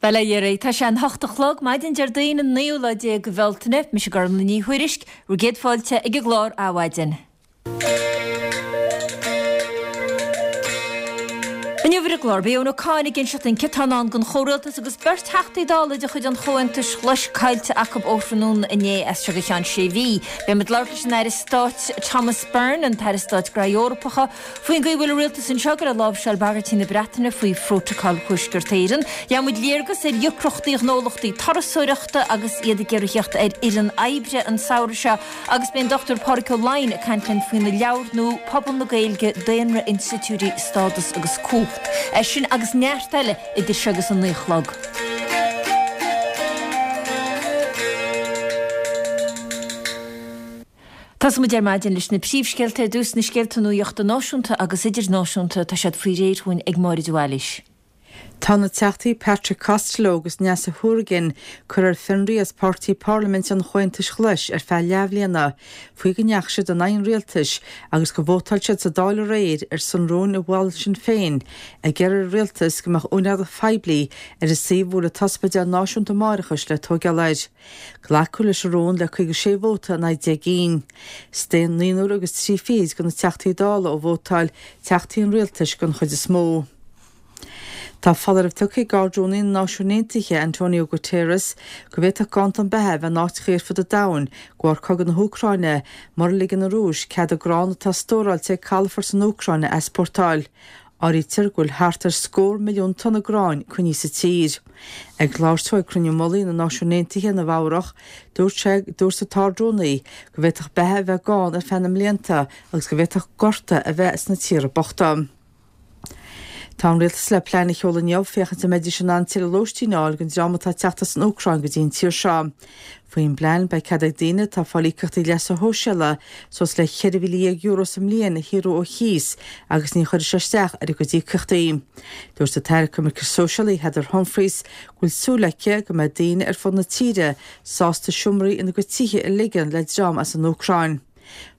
Bhuel, a Dheiridh, tá sé an hocht a chlog, maidin Déardaoin an naoú lá déag de Bhealtaine. Mise Gormlaith Ní Thuairisg, bhur gcéad fáilte ag an gclár Adhmhaidin. Inniu ar an gclár, beidh Eoin Ó Cadhain ag inseacht dúinn céard atá i ndán don chomhrialtas agus beirt Theachtaí Dála de chuid an Chomhaontais Ghlais caillte acu ó thráthnóna inné as seo go ceann sé mhí. Beidh muid ag labhairt leis an Aire Stáit Thomas Byrne, an tAire Stáit Gnaithí Eorpacha, Faoin gcaoi a bhfuil an rialtas anseo ag goil a láimhseáil bagairtí na Breataine faoi Phrótacal Thuaisceart Éireann, gheobhaidh muid léargas ar dheacrachtaí ghnólachtaí turasóireachta agus iad ag iarraidh theacht ar fhoireann oibre an samhradh seo agus beidh an Dr Pádraig Ó Laighin ag caint linn faoina leabhar nua Pobal na Gaeilge, Daonra, Institiúidí, Stádas agus Cumhacht. É sin agus neart eile idir seo agus an 9 a chlog. Tosóidh muid ar maidin leis na príomhscéalta ar dtús, na scéalta nuachta náisiúnta agus idirnáisiúnta, tá siad faoi réir dhúinn ag Máire de Bhailís. Tá na Teachtaí Patrick Costello agus Neasa Hourigan curtha ar fionraí as páirtí parlaiminte an Chomhaontais Ghlais ar feadh leathbhliana faoi go ndeachaigh siad in aghaidh an rialtais agus gur vótáil siad sa Dáil aréir ar son rúin a mhol Sinn Féin ag iarraidh ar an rialtas go mbeadh úinéireacht phoiblí ar an suíomh a bhfuil an tOspidéal Náisiúnta Máithreachais le tóigeáil air. Glacadh leis an rún le 56 vóta in aghaidh 10 gcinn. Staon naonúr agus trí fichid de na Teachtaí Dála ó vótáil, Teachtaí an Rialtais den chuid is mó. Tá foláireamh tugtha ag Ard-Rúnaí na Náisiún Aontaithe, Antonio Guterres, go bhféadfadh ganntan beatha a bheith in áiteacha ar fud an domhain de bharr cogadh na hÚcráine mura ligeann an Rúis cead an grán atá stóráilte ag calafort san Úcráin a easpórtáil. Áirítear go bhfuil thart ar scór milliún tonna gráin coinnithe sa tír. Ag labhairt dó ag Cruinniú Mullaigh na Náisiún Aontaithe i Nua Eabhrach, dúirt sé, dúirt an tArd-Rúnaí go bhféadfadh beatha a bheith gann ar feadh na mblianta agus go bhféadfadh gorta a bheith sna tíortha bochta. Tá an rialtas le plean a sheoladh inniu féachaint an mbeidís in ann tuilleadh lóistín a fháil don dream atá ag teacht as an Úcráin go dtí an tír seo. Faoin bplean, beidh cead ag daoine atá ag fáil íocaíochtaí leasa shóisialaigh suas le €14,000 sa mbliain a shaothrú ó chíos agus ní chuirfidh sé isteach ar a gcuid íocaíochtaí. Dúirt an tAire Coimirce Sóisialaí Heather Humphreys go bhfuil súil aici go mbeidh daoine ar fud na tíre sásta seomraí ina gcuid tithe a ligean le dream as an Úcráin.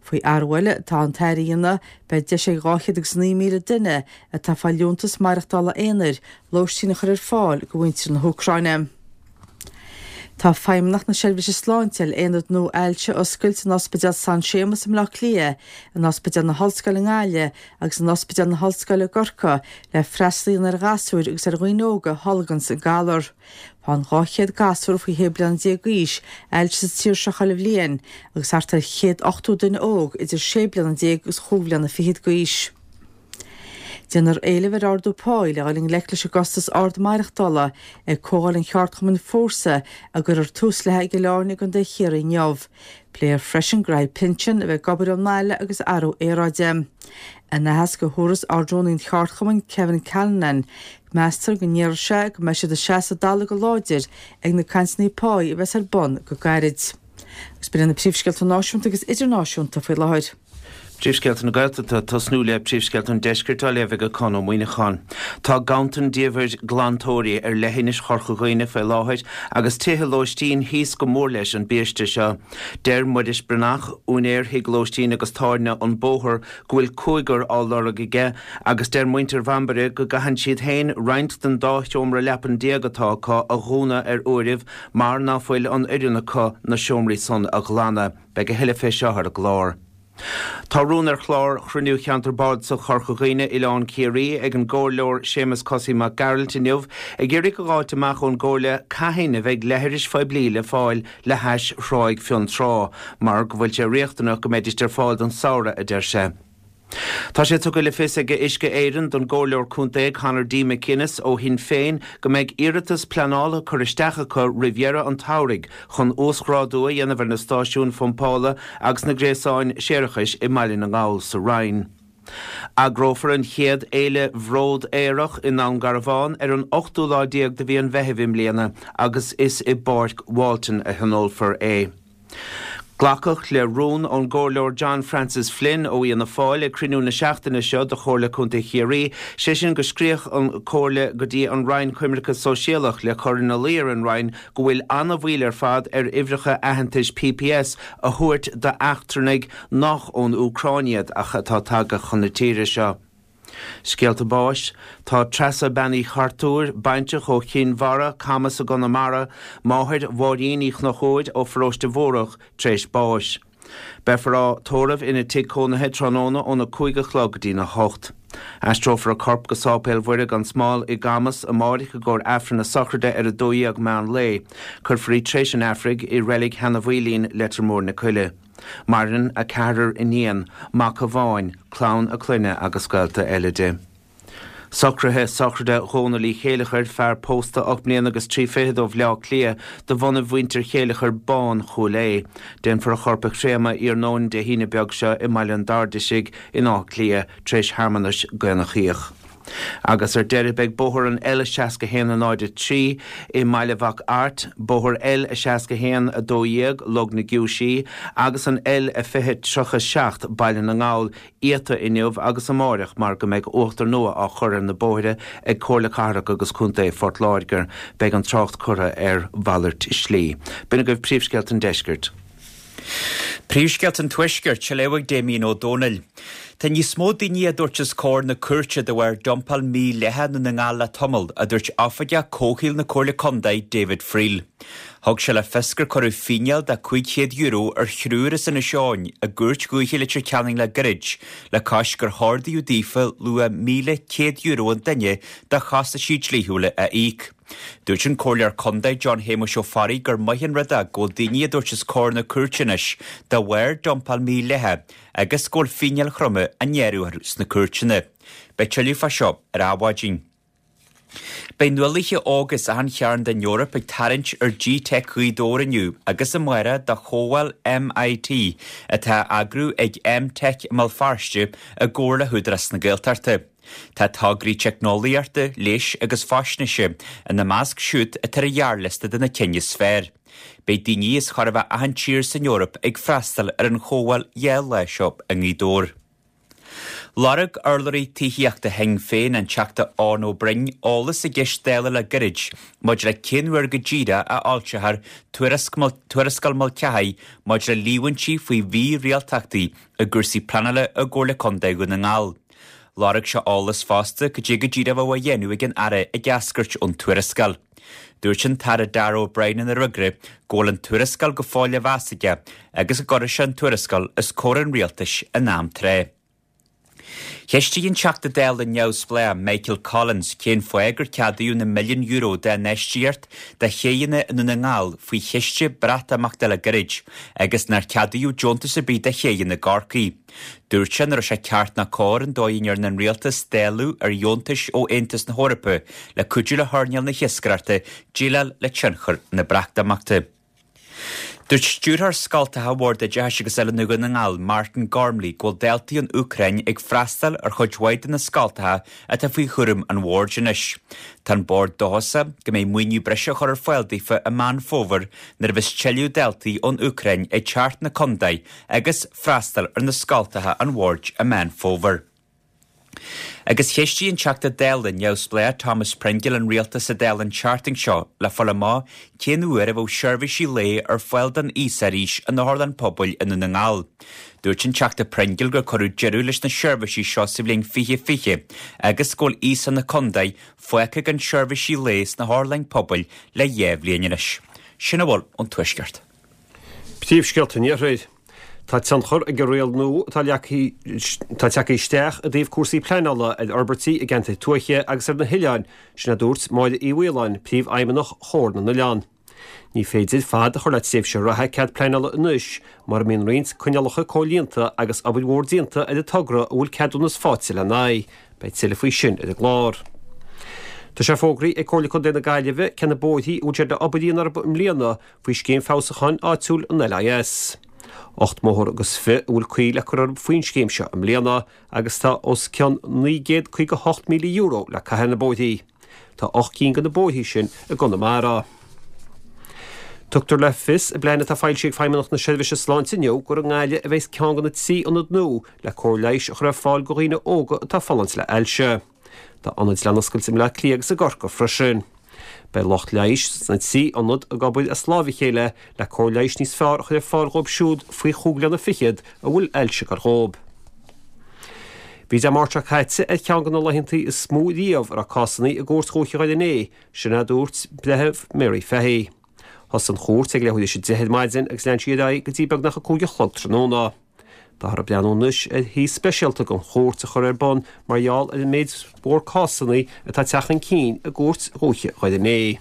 Faoi athrú eile atá an tAire a dhéanamh, beidh deis ag 209,000 duine atá ag fáil liúntas maireachtála aonair lóistín a chur ar fáil do mhuintir na hÚcráine. Tá Feidhmeannacht na Seirbhíse Sláinte le aonad nua ailse a oscailt in Ospidéal San Séamas i mBleá Cliath, in Ospidéal na hOllscoile i nGaillimh agus in Ospidéal na hOllscoile i gCorcaigh le freastal a dhéanamh ar ghasúir agus ar dhaoine óga a tholganns an galar. Faigheann 200 gasúr faoi 16 bliana d'aois ailse sa tír seo chuile bhliain agus thart ar 180 duine óg idir 16 bliana agus chúig bhliana fichead d'aois. Déanfar éileamh ar ardú páí le dhul i ngleic leis an gcostas ard maireachtála ag comhdháil an cheardchumainn Fórsa a gcuirfear tús léi ag Cill Airne i gContae Chiarraí inniu. Pléifear freisin graithí pinsin, a bheith ag obair ón mbaile agus athrú aeráide. In aitheasc a thabharfas Ard-Rúnaí an cheardchumainn Kevin Callinan, meastar go ndéarfaidh sé go mbeidh siad ag seasamh an talamh go láidir ag na cainteanna páí a bheas ar bun go gairid. Agus b'in iad na príomhscéalta náisiúnta agus idirnáisiúnta faoi láthair. Príomhscéalta na Gaeltachta, Tosnú le Príomhscéalta an Deiscirt á léamh ag Conn Ó Muíneacháin. Tá ganntan diamhair glantóirí ar leithinis Chorca Dhuibhne faoi láthair agus tithe lóistín thíos go mór leis an biaiste seo. Deir Muiris Breathnach, úinéir thigh lóistín agus tábhairne An Bóthar, go bhfuil cúigear á lorg aige agus deir muintir Bhambaire go gcaitheann siad féin roinnt den dá sheomra leapan déag atá acu a dhúnadh ar uairibh mar ná fuil an fhoireann acu na seomraí san a ghlanadh. Beidh a thuilleadh fé seo ar an gclár. Tá rún ar chlár chruinniú Cheantar Bardasach Chorca Dhuibhne, Oileán Ciarraí, ag an gComhairleoir Séamus Cosaí Mac Gearailt inniu ag iarraidh a dh'fháilt amach ón gComhairle cathain a bheidh leithris phoiblí le fáil le hais Thráigh Fionntrá mar go bhfuil sé riachtanach go mbeidíst ar fáil don samhradh, a deir sé. Tá sé tugtha le fios ag Uisce Éireann don gComhairleoir Contae Conor D. McGuinness ó Shinn Féin go mbeidh iarratas pleanála curtha isteach acu roimh dheireadh an tsamhraidh chun uasghrádú a dhéanamh ar na stáisiúin phumpála agus na gréasáin séarachais i mBaile na nGall sa Rinn. Eagrófar an chéad Fhéile Bhród Aerach i nDún Garbhán ar an ochtú lá déag de mhí an Mheithimh i mbliana agus is i bPáirc Walton a thionólfar é. Glacadh le rún ón gComhairleoir John Francis Flynn ó Fhianna Fáil ag cruinniú na seachtaine seo de Chomhairle Contae Chiarraí, sé sin go scríobhadh an Chomhairle go dtí an Roinn Coimirce Sóisialach le cur ina luí ar an Roinn go bhfuil an-mhoill ar fad ar uimhreacha aitheantais PPS a thabhairt d'eachtrannaigh nach ón Úcráin iad ach atá tagtha chun na tíre seo. Scéalta báis, Tá Treasa Bean Uí Chartúir, baintreach ó Chinn Mhara, Camas i gConamara, máthair Mháirín Uí Chonchúir ó Pharóiste Mhórdha, tar éis báis. Beifear á tórramh ina tigh cónaithe tráthnóna óna 5 a chlog go dtína 8. Aistreofar a corp go Sáipéal Mhuire gan Smál i gCamas amáireach i gcomhair Aifreann na sochraide ar 12 meán lae. Cuirfear í tar éis an Aifrinn i Reilig Sheanadh Mhaoilín, Leitir Móir na Coille. Maireann a ceathrar iníon, mac amháin, clann a clainne agus gaolta eile di. Socruithe sochraide Dhónaill Uí Chéileachair, fear pósta 8 mbliana agus 3 fichead ó Bhleá Cliath, de bhunaibh mhuintir Chéileachair Bán, Chúil Aodha. Déanfar a chorp a chréamadh iarnóin Dé hAoine beag seo i mBaile an Dairdeisigh in Áth Cliath tar éis shearmanais gcaonachíoch. Agus ar deireadh beidh bóthar an L61 03 i mBaile Mhac Airt, bóthar L61 12 Log na Giúisí agus an L20 37 Baile na nGall iata inniu agus amáireach mar go mbeidh uachtar nua á chur ar na bóithre ag Comhairle Cathrach agus Contae Phort Láirge. Beidh an trácht curtha ar mhalairt slí. B'in agaibh príomhscéalta an deiscirt. Príomhscéalta an Tuaiscirt, á léamh ag Damien Ó Dónaill. Tá níos mó daoine á dtabhairt os comhair na cúirte de bharr dumpáil mhídhleathach i nDún na nGall le tamall, a dúirt Oifigeach Comhshaoil na Comhairle Contae, David Friel. Thug sé le fios gur cuireadh fíneáil de €500 ar thriúr as Inis Eoghain i gCúirt Dhúiche Leitir Ceanainn le gairid le cois gur hordaíodh daofa luach €1,100 an duine de chostaisí dlíthiúla a íoc. Dúirt an Comhairleoir Contae John Shéamuis Ó Fearraigh gur maith an rud é go bhfuil daoine á dtabhairt os comhair na cúirte anois de bharr dumpáil mhídhleathach agus go bhfuil fíneáil throma á ngearradh orthu sna cúirteanna. Beidh tuilleadh fá seo ar Adhmhaidin. Beidh nuálaithe óga as achan chearn den Eoraip ag tarraingt ar G-Teic Ghaoth Dobhair inniu agus amárach do Chomhdháil MIT atá á eagrú ag M-Tech i mBéal Feirste i gcomhar le hÚdarás na Gaeltachta. Tá tograí teicneolaíochta, leighis agus faisnéise ina measc siúd atá ar an ghearrliosta de na cinn is fearr. Beidh daoine as chóir a bheith achan tír san Eoraip ag freastal ar an chomhdháil 2 lá seo i nGaoth Dobhair. Lorg urlabhraí tithíochta Shinn Féin, an Teachta Eoin Ó Broin, eolas i gceist Dála le gairid maidir le cén uair go díreach a fhoilseofar Tuarascáil Mulcahy maidir le líomhaintí faoi mhírialtachtaí i gcúrsaí pleanála i gComhairle Contae Dhún na nGall. Lorg sé eolas fosta cad é go díreach a bheadh á dhéanamh ag an Aire ag eascairt ón tuarascáil. Dúirt an tAire Darragh O'Brien ina fhreagra go bhfuil an tuarascáil go fóill á mheas aige agus go gcuirfidh sé an tuarascáil os comhair an Rialtais in am tráth. Cheistigh an Teachta Dála neamhspleách Michael Collins cén fáth gur ceadaíodh na milliúin euro d'infheistíocht do chéidheanna i nDún na nGall faoi chiste Breatimeachta le gairid agus nár ceadaíodh deontas ar bith do chéidheanna i gCorcaigh. Dúirt sé nach raibh sé ceart ná cóir an dóigh a ndearna an rialtas dáileadh ar dheontais ó Aontas na hEorpa le cuidiú le hearnáil na hiascaireachta déileáil le tionchar na Breatimeachta. Dúirt Stiúrthóir Scoltacha Bhord Oideachais agus Oiliúna Dhún na nGall, Martin Gormley, go bhfuil daltaí ón Úcráin ag freastal ar chuid mhaith de na scoltacha atá faoi chúram an bhoird anois. Tá an bord dóchasach go mbeidh maoiniú breise á chur ar fáil daofa i Meán Fómhair nuair a bheas tuilleadh daltaí ón Úcráin ag teacht 'na contae agus freastal ar na scoltacha an bhoird i Meán Fómhair. Agus cheistigh an Teachta Dála neamhspleách Thomas Pringle an Rialtas sa Dáil an tseachtain seo le fáil amach cén uair a bheadh seirbhísí lae ar fáil don aosach arís in otharlann pobail i nDún na nGall. Dúirt an Teachta Pringle gur cuireadh deireadh leis na seirbhísí seo sa bhliain 2020 agus go bhfuil aosach na contae fágtha gan seirbhísí lae sna hotharlainn pobail le 2 bhliain anois. Sin a bhfuil ón Tuaisceart. Príomhscéalta an Iarthair. Tá tionchar ag an riail nua atá atá tagtha isteach i dtaobh cúrsaí pleanála ar fhorbairtí i gceantair tuaithe agus ar na hoileáin, sin a dúirt Máire Uí Mhaoláin, Príomhfheidhmeannach Chomhar na nOileán. Ní féidir fad a chur le tréimhse reatha cead pleanála anois mura mbíonn roinnt coinníollacha comhlíonta agus obair mhór déanta ar an togra a bhfuil ceadúnas faighte lena aghaidh. Beidh tuilleadh faoi sin ar an gclár. Tá sé fógraithe ag Comhairle Contae na Gaillimhe cé na bóithrí a bhfuil siad le obair a dhéanamh orthu i mbliana faoi Scéim Feabhsúcháin Áitiúil an LIS. 8 mbóthar agus fi a bhfuil caoi le cur orthu faoin scéim seo i mbliana agus tá os cionn €958,000 le caitheamh ar na bóithrí. Tá 8 gcinn de na bóithrí sin i gConamara. Tugtar le fios i bplean atá foilsithe ag Feidhmeannacht na Seirbhíse Sláinte inniu gur i nGaillimh a bheas ceann de na 3 ionad nua le cóir leighis a chur ar fáil do dhaoine óga atá ag fulaingt le hailse. Tá ionaid le n-oscailt i mBleá Cliath agus i gCorcaigh freisin. Beidh lucht leighis sna 3 ionad ag obair as láimh a chéile le cóir leighis níos fearr a chur ar fáil dhóibh siúd faoi chúig bliana fichead a bhfuil ailse ag gabháil dhóibh. Bhí Dé Máirt seo caite ar cheann de na laethanta is mó riamh a raibh cásanna i gCúirt Dhúiche Dhoire Né, sin a dúirt Breitheamh Mary Fahy. Thosaigh an chúirt ag leathuair théis 10 ar maidin agus lean sí ar aghaidh go dtí beagnach 5 a chlog tráthnóna. Táthar ag breathnú anois ar shuí speisialta don chúirt a chur ar bun mar gheall ar an méid mhór cásanna atá ag teacht chun cinn i gCúirt Dhúiche Dhoire Né.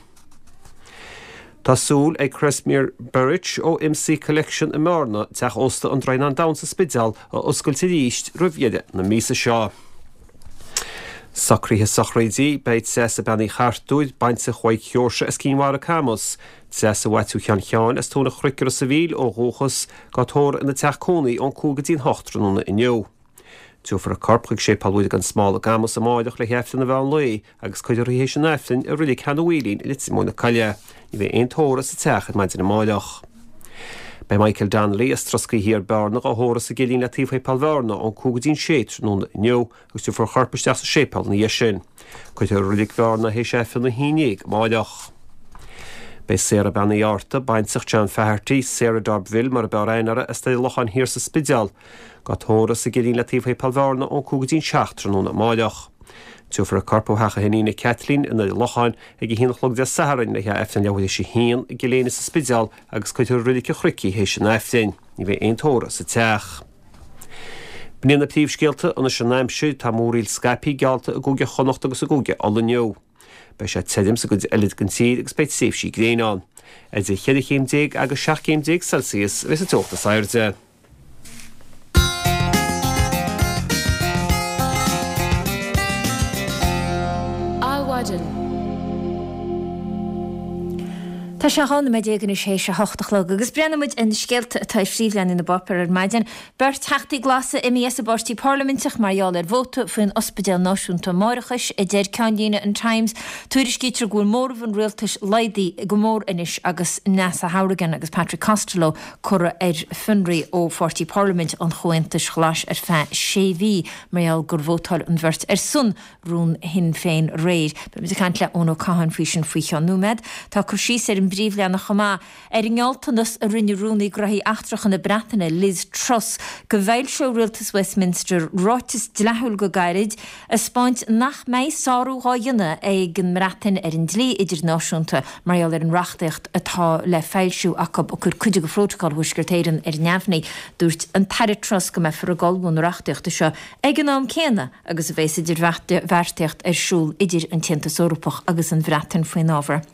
Tá súil ag Kresimir Beric ó MC Collection i mBearna teach ósta an Droighneán Donn sa Spidéal a oscailt arís roimh dheireadh na míosa seo. Socruithe sochraide, Beidh Treasa Bean Uí Chartúir, baintreach Mhaidhc Sheoirse as Cinn Mhara Camus, Treasa Mhaitiú Sheáin Sheáin as Tóin an Chnoic i Ros a' Mhíl ó dhúchas, dhá tórramh ina teach cónaí ón 5 go dtí'n 8 tráthnóna inniu. Tabharfar a corp chuig Séipéal Mhuire gan Smál i gCamus amáireach le haghaidh Aifreann an mheán lae agus cuirfear í théis an Aifrinn i Reilig Shean Mhaoilín i Leitir Móir na Coille. Ní bheidh aon tórramh sa teach ar maidin amáireach. Beidh Michael Donnelly as Troscaí Thiar, Bearna, dhá thórramh sa gCillín le taobh Shéipéal Bhearna ón 5 go dtí'n 6 tráthnóna inniu agus tabharfar a chorp isteach sa séipéal ina dhiaidh sin. Cuirfear i Reilig Bhearna théis Aifreann 11 amáireach. Beidh Sarah Bean Uí Fhátharta, baintreach John Faherty, Sarah D'Urberville mar a b'fhearr aithne uirthi, as Doire Locháin Thiar sa Spidéal, dhá tórramh sa gCillín le taobh Shéipéal Bhearna ón 5 go dtí'n 7 tráthnóna amáireach. Tabharfar a corp ó theach a hiníne Kathleen i nDoire Locháin ag 1 a chlog Dé Sathairn le haghaidh Aifreann leathuair théis a haon i gCill Éinne sa Spidéal agus cuirfear i Reilig an Chnoic í théis an Aifrinn. Ní bheidh aon tórramh sa teach. B'in iad na príomhscéalta anois an aimsir, tá múraíl scaipthe geallta i gCúige Chonnacht agus i gCúige Uladh inniu. Beidh sé tirim sa gcuid eile den tír agus beidh tréimhsí gréine ann. Idir cheithre chéim déag agus 17 céim Celsius a bheidh sa teocht is airde. Adhmhaidin. Tá sé 12 nóiméad anois théis a hocht a chlog agus breathnóidh muid ar na scéalta atá ar phríomhleathanaigh na bpáipéar ar maidin. Beirt Theachtaí Glasa imithe as a bpáirtí parlaiminteach mar gheall ar vóta faoin Ospidéal Náisiúnta Máithreachais, a deir ceannlíne an Times. Tuairiscítear go bhfuil móramh an rialtais laghdaithe go mór anois agus Neasa Hourigan agus Patrick Costello curtha ar fionraí ó pháirtí parlaiminte an Chomhaontais Ghlais ar feadh sé mhí mar gheall gur vótáil an bheirt ar son rún Shinn Féin aréir. Beidh muid ag caint le Eoin Ó Catháin faoi sin faoi cheann nóiméad. Tá cur síos ar an bpríomhleathanach chomh maith ar an ngealltanas a rinne Rúnaí Gnóthaí Eachtracha na Breataine, Liz Truss, go bhfoilseodh Rialtas Westminster ráiteas dleathúil go gairid ag 'spáint nach mbeidh sárú dhá dhéanamh ag an mBreatain ar an dlí idirnáisiúnta mar gheall ar an reachtaíocht atá le foilsiú acu ag cur cuid de Phrótacal Thuaisceart Éireann ar neamhní. Dúirt an tAire Truss go mbeifear ag ullmhú na reachtaíochta seo ag an am céanna agus a bheas idirbheartaíocht ar siúl idir an tAontas Eorpach agus an Bhreatain faoin ábhar.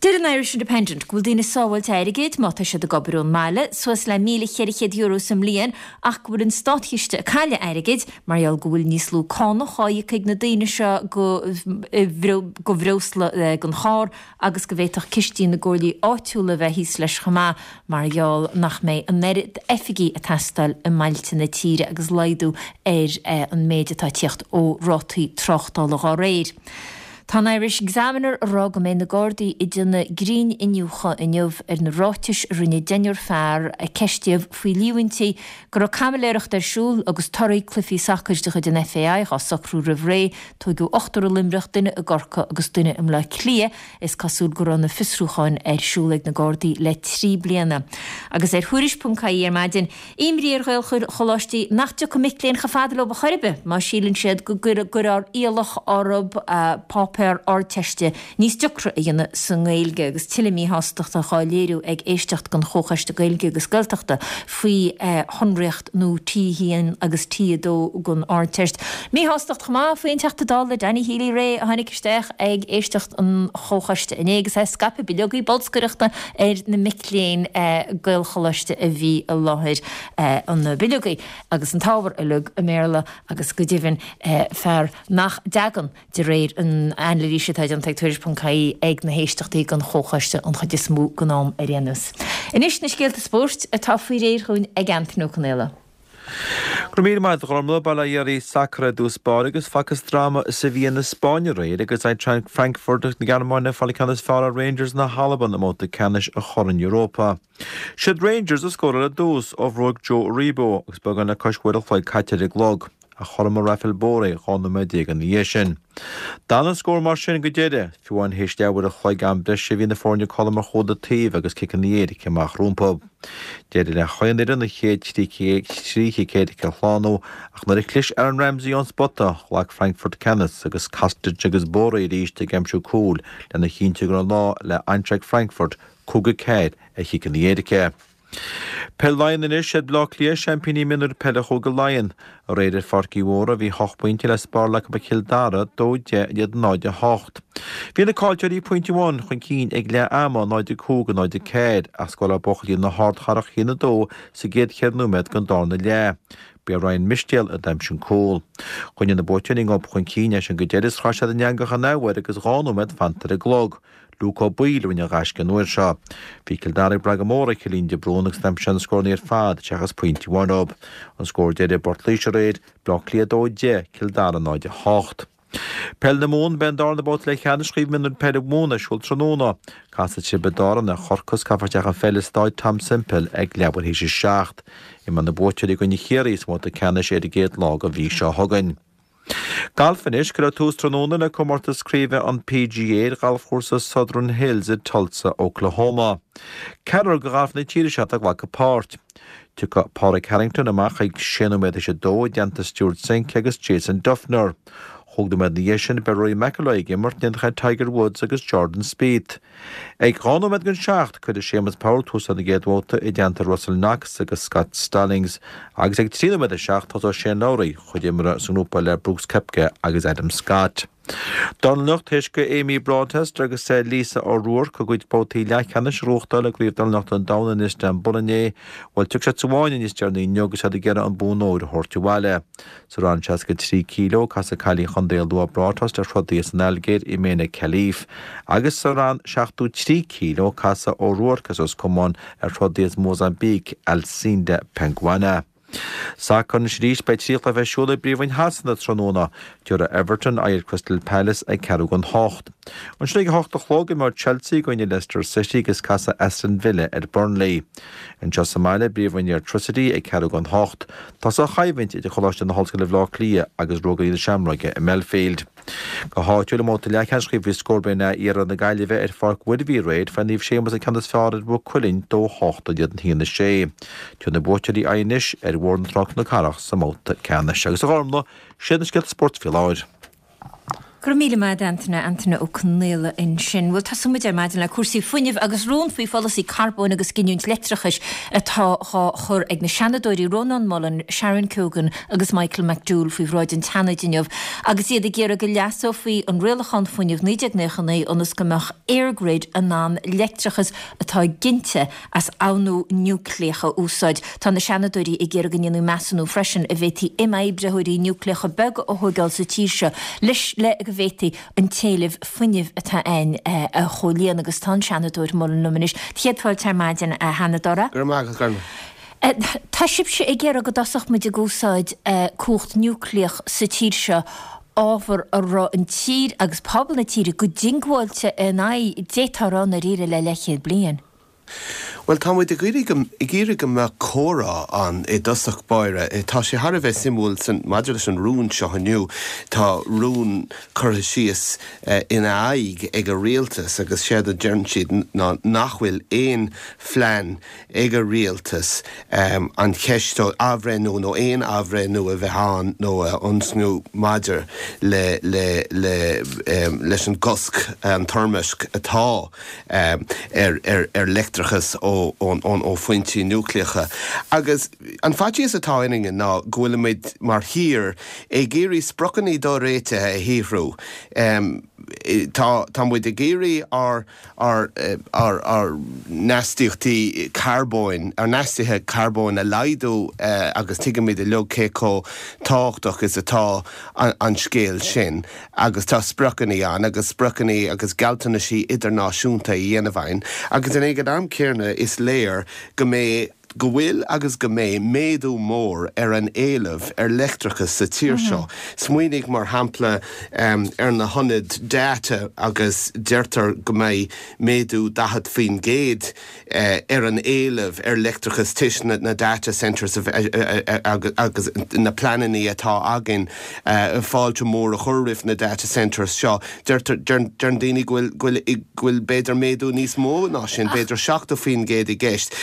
Deir an Irish Independent go bhfuil daoine ag sábháilt airgid má tá siad ag obair ón mbaile, suas le €1,400 sa mbliain, ach go bhfuil an státchiste ag cailleadh airgid mar gheall go bhfuil níos lú cánach á íoc ag na daoine seo go bhreosla don charr agus go bhféadfadh cistí na gcomhairlí áitiúla a bheith thíos leis chomh maith mar gheall nach mbeidh an oiread oifigí ag teastáil i mbailte na tíre agus laghdú ar an méid atá ag tíocht ó rátaí tráchtála dhá réir. Tá an Irish Examiner ag rá go mbeidh na Gardaí ag déanamh grinn-iniúchadh inniu ar na ráitis a rinne deichniúr fear a ceistíodh faoi líomhaintí go raibh caimiléireacht ar siúl agus torthaí cluichí sacair de chuid an FAI dhá socrú roimh ré. Tóigeadh ochtar i Luimneach, duine i gCorcaigh agus duine i mBleá Cliath. Is cosúil go raibh na fiosrúcháin ar siúl ag na Gardaí le 3 bliana. Agus ar Thuairisc.ie ar maidin, Imní ar Ghaelcholáistí nach dtiocfaidh mic léinn chomh fada leo ar chor ar bith má síleann siad go gcuirfear iallach orthu páipéar Ardteiste níos deacra a dhéanamh sa nGaeilge agus tuilleadh míshástachta dhá léiriú ag éisteacht den Chomhchoiste Gaeilge agus Gaeltachta faoi shonraíocht nua T1 agus T2 don Ardteist. Míshástacht chomh maith faoi an Teachta Dála Danny Healy-Rae a tháinig isteach ag éisteacht an Chomhchoiste inné agus é ag scaipeadh bileogaí bolscaireachta ar na mic léinn Gaelcholáiste a bhí i láthair, na bileogaí agus an t-ábhar uilig i mBéarla agus go deimhin fear nach dtagann, de réir an anailíse atá déanta ag Tuairisc.ie, ag na héisteachtaí den Chomhchoiste an chuid is mó den am ar aon nós. Anois na scéalta spóirt atá faoi réir dhúinn ag Antaine Ó Conaola. Go raibh míle maith agat a Ghormlaith. Bail ó Dhia oraibh sacar ar dtús báire agus facthas dráma i Sevilla na Spáinne aréir agus Eintracht Frankfurt na Gearmáine ag fáil an ceann is fearr ar Rangers na hAlban i mbabhta ceannais an Choirn Europa. Siad Rangers a scóráil ar dtús ó bhróig Joe Aribo agus beagán le cois uair an chloig caite ar an gclog. Ach chothromaigh Rafael Borré 12 nóiméad ina dhiaidh sin. D'fhan an scór mar sin go deireadh, fiú amháin théis leathuair an chloig am breise bhí na foirne cothrom ar chuile taobh agus ciceanna éirice amach rompu. D'éirigh le chaon fhoireann an chéad 3 chic éirice a shlánú ach nuair a chlis Aaron Ramsey ón spota, ghlac Frankfurt ceannas agus Kostic agus Borré arís ag aimsiú cúil lena chinntiú go raibh an lá le Eintracht Frankfurt 5-4 ar chiceanna éirice. Peil Laighean anois, siad Bleá Cliath seaimpíní mionúir peile Chúige Laighean. Aréir ar Pháirc Uí Mhórdha bhí hocht bpointe le spáráil acu ar Chill Dara, 2, 10 in éadan 0, 8. Bhí na caillteoirí pointe amháin chun cinn ag leath ama, 0, 5, 0, 4, ach scóráil buachaillí na hardchathrach 1, 2 sa gcéad cheithre nóiméad den darna leath. B'é Ryan Mistéal a d'aimsigh an cúl. Choinnigh na buaiteoirí an gob chun cinn as sin go deireadh is chroith siad an eangach an athuair agus 2 nóiméad fanta ar an gclog. Luke Ó Baoill a rinne an ghaisce an uair seo. Bhí Cill Dara ag brath go mór ar Chillín de Brún agus d'aimsigh sé na scóranna ar fad seachas pointe amháin dóibh. An scór deiridh i bPort Laoise aréir, Bleá Cliath 2, 10, Cill Dara 0, 8. Peil na Mumhan, Beidh an darna babhta leathcheannais Chraobh Mionúir Peile Mumhan ar siúl tráthnóna. Casfaidh Tiobraid Árann ar Chorcaigh is caithfear isteach an pheil i Stáid Tom Semple ag leathuair théis a 7. Imreoidh na buaiteoirí i gcoinne Chiarraí sa mbabhta ceannais ar an gcéad lá de mhí seo chugainn. Galf anois, Cuirfear tús tráthnóna le comórtas craoibhe an PGA ar ghalfchúrsa Southern Hills i Tulsa, Oklahoma. Ceathrar de ghalfaithe na tíre seo atá ag glacadh páirt. Tiocfaidh Pádraig Harrington amach ag sé nóiméad théis a dó i dteannta Stewart Cink agus Jason Dufner. Chúig nóiméad ina dhiaidh sin beidh Rory McIlroy ag imirt in éineacht le Tiger Woods agus Jordan Spieth. Ag 2 nóiméad don seacht, cuirfidh Séamus Power tús lena gcéad bhabhta i dteannta Russell Knox agus Scott Stallings agus ag 3 nóiméad le seacht tosóidh Shane Lowry, chuid imeartha sa ngrúpa le Brooks Koepka agus Adam Scott. Dornálaíocht, Théis do Amy Broadhurst agus Lisa O'Rourke a gcuid babhtaí leathcheannais a ghnóthachtáil i gCraobh Dornálaíochta an Domhain in Istanbul inné, bhuel, tiocfaidh siad sa bhfáinne níos deireanaí inniu agus iad ag iarraidh an bonn óir a thabhairt abhaile. Sa rang 63 kíló, casfaidh cailín Chontae an Lú Broadhurst ar throdaí as an Ailgéir, Imene Khelif, agus sa rang 73 kíló, casfaidh O'Rourke as Ros Comáin ar throdaí as Mósaimbíc, Alcinda Panguana. Sacar anois arís, beidh 3 chluiche ar siúl i bPríomhroinn Shasana tráthnóna. Tabharfaidh Everton aghaidh ar Crystal Palace ag ceathrú don hocht. Ansin ag a hocht a chlog, imreoidh Chelsea i gcoinne Leicester City agus casfaidh Aston Villa ar Burnley. Anseo sa mbaile, i bPríomhroinn Airtricity ag ceathrú don hocht, Tosóidh an choimhlint idir Coláiste na hOllscoile Bhaile Átha Cliath agus Ruagairí na Seamróige i mBelfield. Go háitiúil i mbabhta leathcheannais Chraobh faoi scór Beidh Iarthar na Gaillimhe ar Pháirc Mhuirbhigh aréir fuair Naomh Séamus an ceann is fearr ar Mhaigh Cuilinn 2 8 in éadan 1 6. Tabharfaidh na buaiteoirí aghaidh anois ar Bhóthar na Trá Cnoc Carrach sa mbabhta ceannais. Agus a Ghormfhlaith, sin iad na scéalta spóirt faoi láthair. Go raibh míle maith agat Antaine, Antaine Ó Conaola ansin. Bhuel, tosóidh muid ar maidin le cúrsaí fuinnimh agus rún faoi pholasaí carbóin agus giniúint leictreachais atá dhá chur ag na Seanadóirí Rónán Mullen, Sharon Keoghan agus Michael McDowell faoi bhráid an tSeanaid inniu agus iad ag iarraidh go leasófaí an Rialachán Fuinnimh 1999 ionas go mbeadh EirGrid in ann leictreachas atá ginte as abhnú núicléach a úsáid. Tá na Seanadóirí ag iarraidh go ndéanfaí measúnú freisin an bhféadfaí imoibritheoirí núicléacha beaga a thóigeáil sa tír seo leis le go bhféadfaí an t-éileamh fuinnimh atá ann a chomhlíonadh agus tá an Seanadóir Mullen liom anois. Céad fáilte ar maidin, a Sheanadóra. Go raibh maith agat, Gormfhlaith. Tá sibhse ag iarraidh go dtosódh muid ag úsáid cumhacht núicléach sa tír seo, ábhar a raibh an tír agus pobal na tíre go diongbháilte ina aghaidh, d'fhéadfá a rá i ndáiríre le leathchéad bliain. Bhuel, tá muid ag iarraidh go, ag iarraidh go mbeadh comhrá ann i dtosach báire. Tá sé thar a bheith suimiúil san, maidir leis an rún seo inniu, tá rún curtha síos ina aghaidh ag an rialtas agus séard a deireann siad ná nach bhfuil aon phlean ag an rialtas an cheist a athbhreithniú nó aon athbhreithniú a bheith ann nó a thionscnú maidir le, le, le, leis an gcosc, an toirmeasc atá. ar leictreachas ó phointí núicléacha. Agus an faitíos atá orainne ná go bhfuilimid mar thír ag iarraidh spriocanna doréitithe a shaothrú. Tá muid ag iarraidh ár ár n-astaíochtaí carbóin, ár n-astuithe carbóin a laghdú agus tuigimid uilig cé chomh tábhachtach is atá an scéal sin. agus tá spriocanna ann agus spriocanna agus gealltanaisí idirnáisiúnta a dhéanamh againn agus ag an am céanna is léir go mbeidh. go bhfuil agus go mbeidh méadú mór ar an éileamh ar leictreachas sa tír seo. Smaoinigh mar shampla ar na hionaid data agus deirtear go mbeidh méadú 40% ar an éileamh ar leictreachas toisc na data centres agus na pleananna atá againn fáilte mhór a chur roimh na data centres seo. Deirtear, deireann daoine go bhfuil, go bhfuil b'fhéidir méadú níos mó ná sin, b'fhéidir 70% i gceist.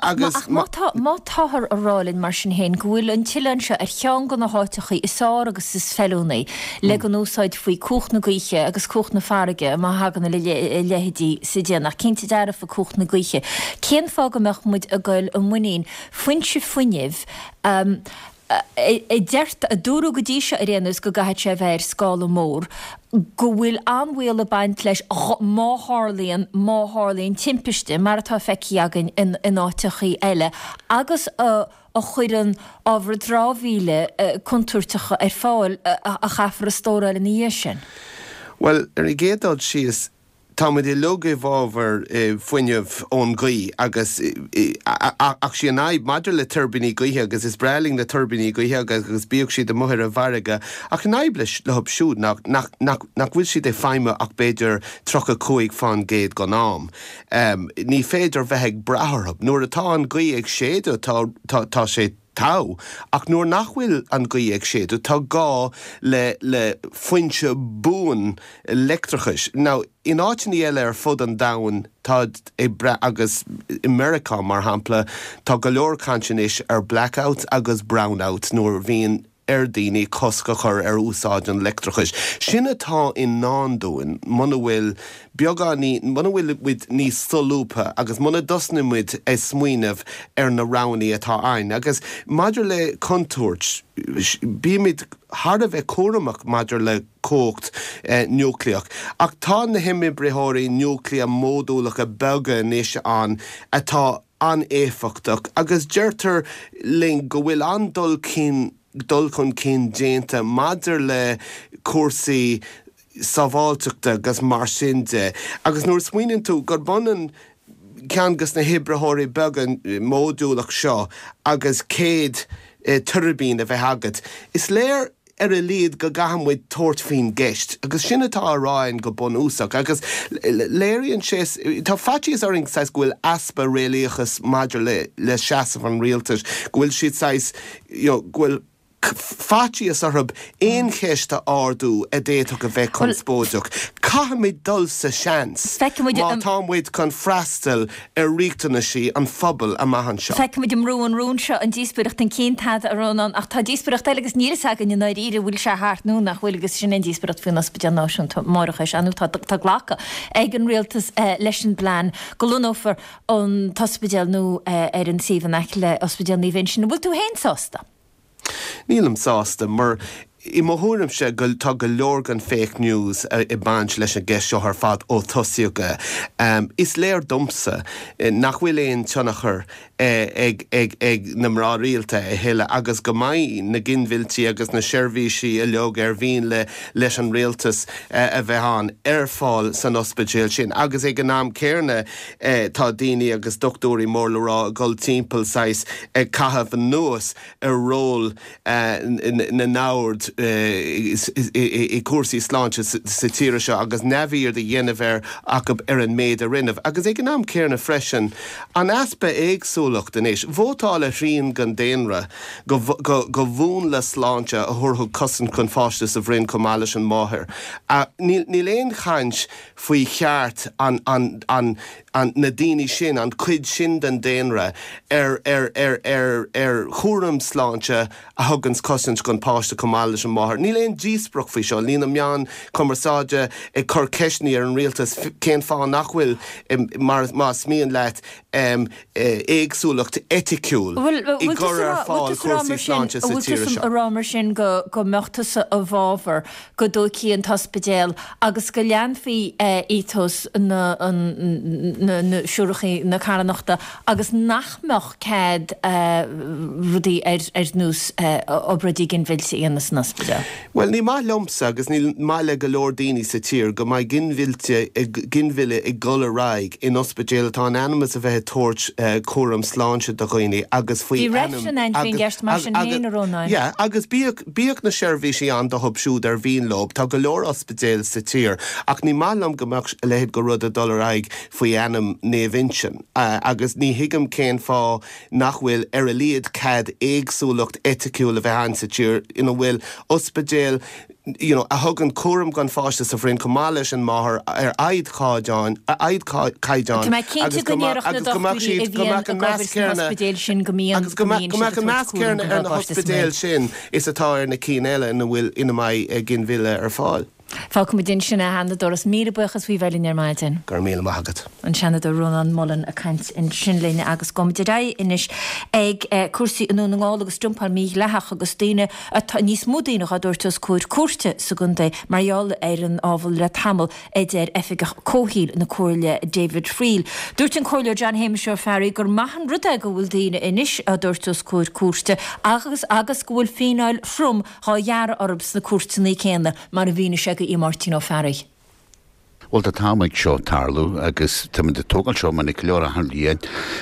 Agus. Ach má tá, má táthar a rá linn mar sin féin go bhfuil an t-oileán seo ar cheann de na háiteachaí is fearr agus is feiliúnaí le go n-úsáidfí cumhacht na gaoithe agus cumhacht na farraige má thagann a leithéidí sa déanach, cinnte dearfa cumhacht na gaoithe, cén fáth go mbeadh muid ag goil i muinín foinse fuinnimh a a deirtear, a dúradh go dtí seo ar aon nós go gcaithfidh sé a bheith ar scála mór, go bhfuil an-bhaol ag baint leis má tharlaíonn, má tharlaíonn timpiste, mar atá feicthe againn in in áiteachaí eile, agus a a chuireann ábhar dramhaíola contúirteacha ar fáil a chaithfear a stóráil ina dhiaidh sin. Bhuel, ar an gcéad dul síos, Tá muid uilig i bhfabhar fuinneamh ón ghaoth agus ach sí an fhadhb maidir le tuirbíní gaoithe agus is breá linn na tuirbíní gaoithe agus bíodh siad amuigh ar an bhfarraige ach an fhadhb leis leo siúd ná nach nach nach bhfuil siad ag feidhmiú ach b'fhéidir 35% den am. Ní féidir bheith ag brath orthu. Nuair atá an ghaoth ag séideadh tá tá tá sé togha ach nuair nach bhfuil an ghaoth ag séideadh tá gá le le foinse buan leictreachais. Now, in áiteanna eile ar fud an domhain táid ag brath, agus i Meiriceá mar shampla, tá go leor caint anois ar blackouts agus brownouts nuair a bhíonn ar daoine cosc a chur ar úsáid an leictreachais. Sin atá i ndán dúinn muna bhfuil beagáinín, muna bhfuil muid níos solúbtha agus muna dtosnaíonn muid ag smaoineamh ar na roghanna atá againn. Agus maidir le contúirt, bímid thar a bheith cúramach maidir le cumhacht núicléach. Ach tá na himoibritheoirí núicléacha módúlacha beaga anois ann atá an-éifeachtach agus deirtear linn go bhfuil an-dul cinn dul chun cinn déanta maidir le cúrsaí sábháilteachta agus mar sin de. Agus nuair a smaoiníonn tú gurb ionann ceann de na hoibritheoirí beaga módúlach seo agus 100 tuirbín a bheith agat, is léir ar a laghad go gcaithfidh muid tabhairt faoin gceist, agus sin atá á rá againn go bunúsach, agus léiríonn sé, tá faitíos orainn saghas go bhfuil easpa réalaíochas maidir le le seasamh an rialtais, go bhfuil siad saghas, you know, go bhfuil faitíos orthu aon cheist a ardú a d'fhéadfadh a bheith conspóideach. Caithfimid dul sa seans má tá muid chun freastal ar riachtanaisí an phobail amach anseo. Feicfimid an mbrúnn an rún seo an díospóireacht chun cinn tada, a Rónáin, ach tá díospóireacht eile agus níl fhios againn i ndáiríre an bhfuil sé thart nó nach bhfuil agus sin an díospóireacht faoin Ospidéal Náisiúnta Máithreachais. Ar ndóigh tá tá glactha ag an Rialtas leis an bplean go lonnófar an t-ospidéal nua ar an suíomh in aice le Ospidéal Naomh Uinseann. An bhfuil tú féin sásta? Nílim sásta, mar i mo thuairimse go tá go leor den fake news ag baint leis an gceist seo ar fad ó tosaíodh é. Is léir domsa nach bhfuil aon tionchar ag ag ag na mná rialta a thuilleadh agus go mbeidh na ginmhilltí agus na seirbhísí uilig ar mhian le leis an rialtas a bheith ann ar fáil san ospidéal sin agus ag an am céanna tá daoine agus dochtúirí mór le rá ag dul timpeall saghas ag caitheamh anuas ar ról na n-ord i gcúrsaí sláinte sa tír seo agus neamhaird a dhéanamh air acu ar an méid a rinneadh. Agus ag an am céanna freisin, an easpa éagsúlacht anois. Vótáil a thrian den daonra go go mhúnla sláinte a thabharfadh cosaint don pháiste sa bhroinn chomh maith leis an máthair. Níl aon chaint faoi cheart an, an, an, an, na daoine sin, an chuid sin den daonra ar, ar, ar, ar, ar chúram sláinte a thuganns cosaint don pháiste chomh maith leis an máthair. Níl aon díospóireacht faoi seo. Níl na meáin chumarsáide ag cur ceisteanna ar an rialtas cén fáth nach bhfuil, mar, más mian leat, éagsúlacht eiticiúil i gcur ar fáil cúrsaí sláinte sa tír seo. Bhfuil tusa a rá mar sin go go mbeadh tusa i bhfabhar go dtógfaí an t-ospidéal agus go leanfaí ethos na na siúrachaí na carthanachta agus nach mbeadh cead rudaí ar ar nós obráidí ginmhillte a dhéanamh san ospidéal? ospidéal. Bhuel, ní maith liomsa agus ní maith le go leor daoine sa tír go mbeidh ginmhillte, ginmhilleadh ag dul ar aghaidh in ospidéal atá in ainm is a bheith ag tabhairt cúram sláinte do dhaoine agus faoi Bhí ainm reifreann ann faoin agus gceist mar sin agus féin, a Rónáin. yeah agus bíodh bíodh na seirbhísí ann dóibh siúd ar mhian leo, tá go leor ospidéal sa tír ach ní maith liom go mbeadh a leithéid de rud ag dul ar aghaidh faoi ainm Naomh Uinseann agus ní thuigim cén fáth nach bhfuil ar a laghad cead éagsúlacht eiticiúil a bheith ann sa tír ina bhfuil ospidéal you know a thugann cúram don pháiste sa bhroinn chomh maith leis an máthair ar ardchaighdeán ardchaighdeán Tá mé cinnte agus go go mbeadh ndéarfadh na agus go mbeadh dochtúirí siad a go bhíonn mbeadh an ag meas obair sna céanna hospidéil sin go mbíonn agus go go mbeadh mbíonn go siad mbeadh ag an tabhairt meas cúram céanna don ar na pháiste sa hospidéil mbroinn. sin is atá ar na cinn eile ina bhfuil ina mbeidh ginmhilleadh ar fáil. Fágfaimid ansin é, a Sheanadóir, is míle buíochas faoi bheith linn ar maidin. Go raibh míle maith agat. An Seanadóir Rónán Mullen ag caint ansin linn agus gabhfaimid ar aghaidh anois ag cúrsaí i nDún na nGall agus dumpáil mhídhleathach agus daoine atá, níos mó daoine dhá dtabhairt os comhair cúirte sa gcontae mar gheall ar an ábhar le tamall, a deir Oifigeach Comhshaoil na Comhairle David Friel. Dúirt an Comhairleoir John Shéamais Ó Fearraigh gur maith an rud é go bhfuil daoine anois á dtabhairt os comhair cúirte agus agus go bhfuil fíneáil throm dhá ghearradh orthu sna cúirteanna céanna, mar a mhínigh sé do Mháirtín Ó Fearraigh. Bhuel, tá t-am ag seo tarlú agus táimid ag tógáil seo minic go leor achan bhliain.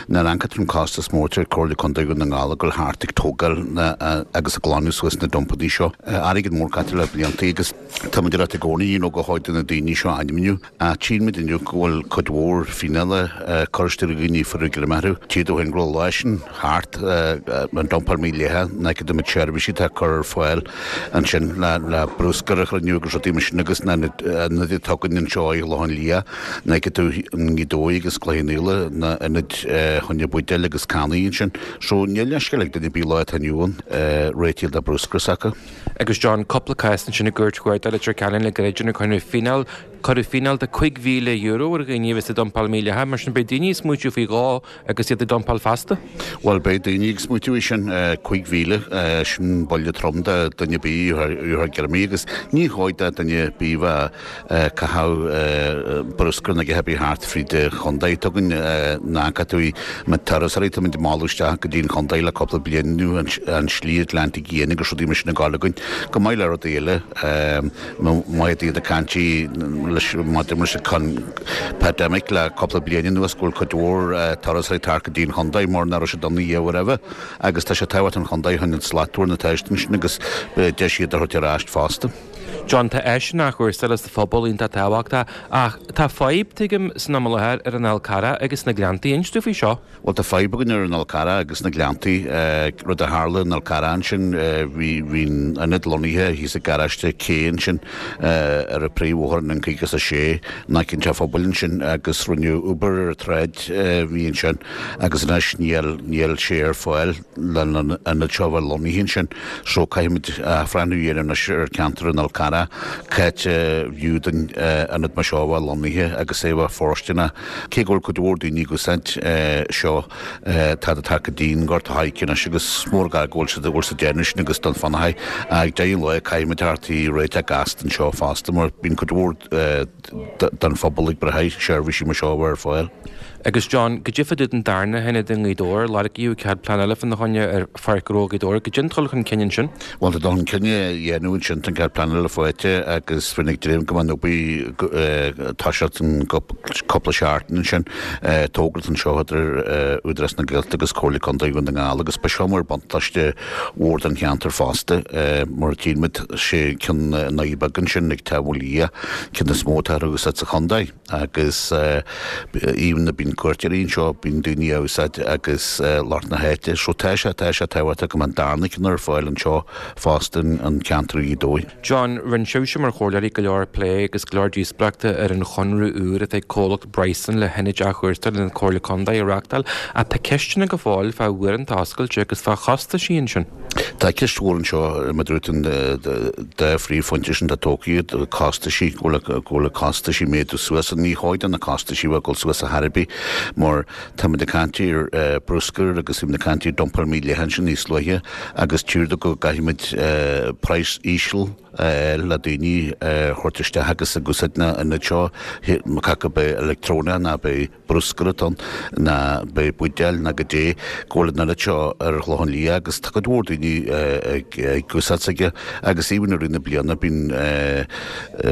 Nuair a amharcann tú an costas mór atá ar Comhairle Contae Dhún na nGall ag dul thart ag tógáil na agus ag glanadh suas na dumpannaí seo. Airgead mór caite le bliantaí agus táimid ag ráit i gcónaí you know go chóir do na daoine seo ainmniú. Ach tchíonn muid inniu go bhfuil cuid mhór fíneála curtha isteach ar dhaoine a fuaireadh greim orthu. Tchíthear domh féin go raibh lá sin thart, an dumpáil mhídhleathach, nach iad na seirbhísí atá curtha ar fáil ansin le bruscar a chruinniú agus rudaí mar sin agus na ionaid atá againn anseo i Loch an Lia, nach iad i nGaoth Dobhair agus Cloich Cheann Fhaola, na ionaid choinne buidéil agus cannaí ansin. So níl leithscéal ag duine ar bith lá atá inniu ann réitigh le bruscar s'acu. Agus John, cúpla cás ansin i gCúirt Chuarda Leitir Ceanainn le gairid inar cuireadh fíneáil Cuireadh fíneáil de €5,000 ar dhaoine a bhí ag dumpáil mídhleathach, mar sin beidh daoine ag smaoitiú faoi dhó agus iad ag dumpáil feasta. Bhuel, beidh daoine ag smaoitiú faoi sin, 5,000, sin buille trom do dhuine ar bith a gheobhadh greim agus ní chóir do dhuine ar bith bheith ag caitheamh bruscar nó a dhath ar bith thart fríd an chontae. Tugann na tú na turasóirí, táimid ag mealladh isteach go dtí an chontae le cúpla bliain anuas, an slí Atlantic Fhiáin agus rudaí mar sin ag gabháil againn, chomh maith le rudaí eile. Maith iad ag caint leis maidir leis an pandemic le cúpla bliain anuas go bhfuil cuid mhór turasóirí ag teacht go dtí an chontae mar nach raibh siad ann a riamh roimhe agus tá sé tábhachtach an chontae chun an slachtmhar na teist ansin agus deis iad a thabhairt ar ais fosta. John, tá áiseanna athchúrsála sa phobal iontach tábhachtach ach tá fadhb, tuigim, san am i láthair ar an Fhál Carrach agus sna Gleanntaí. Inis dúinn faoi seo. Bhuel, tá fadhb againn ar an Fhál Carrach agus sna Gleanntaí. Rud a tharla in Fhál Carrach ansin, bhí bhí an ionad lonnaithe thíos ag garáiste K ansin ar an príomhbhóthar an N56 in aice an teach phobail ansin agus rinneadh obair ar an tsráid a bhí ansin agus anois níl níl sé ar fáil le an ionad seo a bheith lonnaithe ansin. So caithfimid athbhreithniú a dhéanamh anois ar cheantar an Fhál Carrach, c'áit a bhfiú don ionad mar seo a bheith lonnaithe agus é a bheith fóirsteanach. Cé go bhfuil cuid mhór daoine ag úsáid seo, tá siad ag teacht go dtí an Gort a' Choirce anois agus is mór gar go bhfuil siad go bhfuil siad déanamh sin agus don Fionnachaidh. Ag deireadh an lae caithfimid teacht i réiteach gasta anseo fosta mar bíonn cuid mhór den phobal ag brath ar sheirbhísí mar seo a bheith ar fáil. Agus John, goidé fá dtaobh den darna hionad i nGaoth Dobhair, lorgaíodh cead pleanála fána choinne ar Pháirc Ghnó Ghaoth Dobhair, goidé an dul chun cinn ansin. Bhuel, tá dul chun cinn á dhéanamh ansin, tá an cead pleanála faighte agus bheinn ag dréim go mbeidh an obair ag toiseacht i gcúpla seachtain ansin. Togra anseo idir Údarás na Gaeltachta agus Comhairle Contae Dhún na nGall agus beidh seo mar buntáiste mhór don cheantar fosta mar tchíonn muid sé ceann i nDoire Beaga ansin ag Teach Mhaoil Liath, ceann is mó atá ar úsáid sa chontae. Agus even bíonn cuairteoirí anseo, bíonn daoine á úsáid agus lucht na háite. So tá sé, tá sé tábhachtach go mbeadh an darna ceann ar fáil anseo fosta in ceantar Ghaoth Dobhair. John, rinne sibhse mar chomhairleoirí go leor plé agus go leor díospóireachta ar an chonradh úr atá ag comhlacht Bryson le hionaid athchúrsála na Comhairle Contae a reáchtáil ach tá ceisteanna go fóill fá uaireanta oscailte agus fá chostaisí ansin. Tá ceist mhór anseo, mar a dúirt an dá phríomhphointe sin atá tógtha agat, costaisí, go bhfuil na costaisí ag méadú suas. Ní chóir do na costaisí a bheith ag dul suas ar chor ar bith mar táimid ag caint ar bruscar agus táimid ag caint ar dumpáil mídhleathach ansin níos luaithe agus tchítear go gcaithfimid praghas íseal. a fháil le daoine a thabhairt isteach agus ag úsáid na n-ionad seo, cé acu ab é leictreonach ná ab é bruscar atá ann, ná ab é buidéil ná goidé, go bhfuil an oiread seo ar an Chlochán Liath agus tá cuid mhór daoine ag úsáid s'aige agus even i rith na bliana bíonn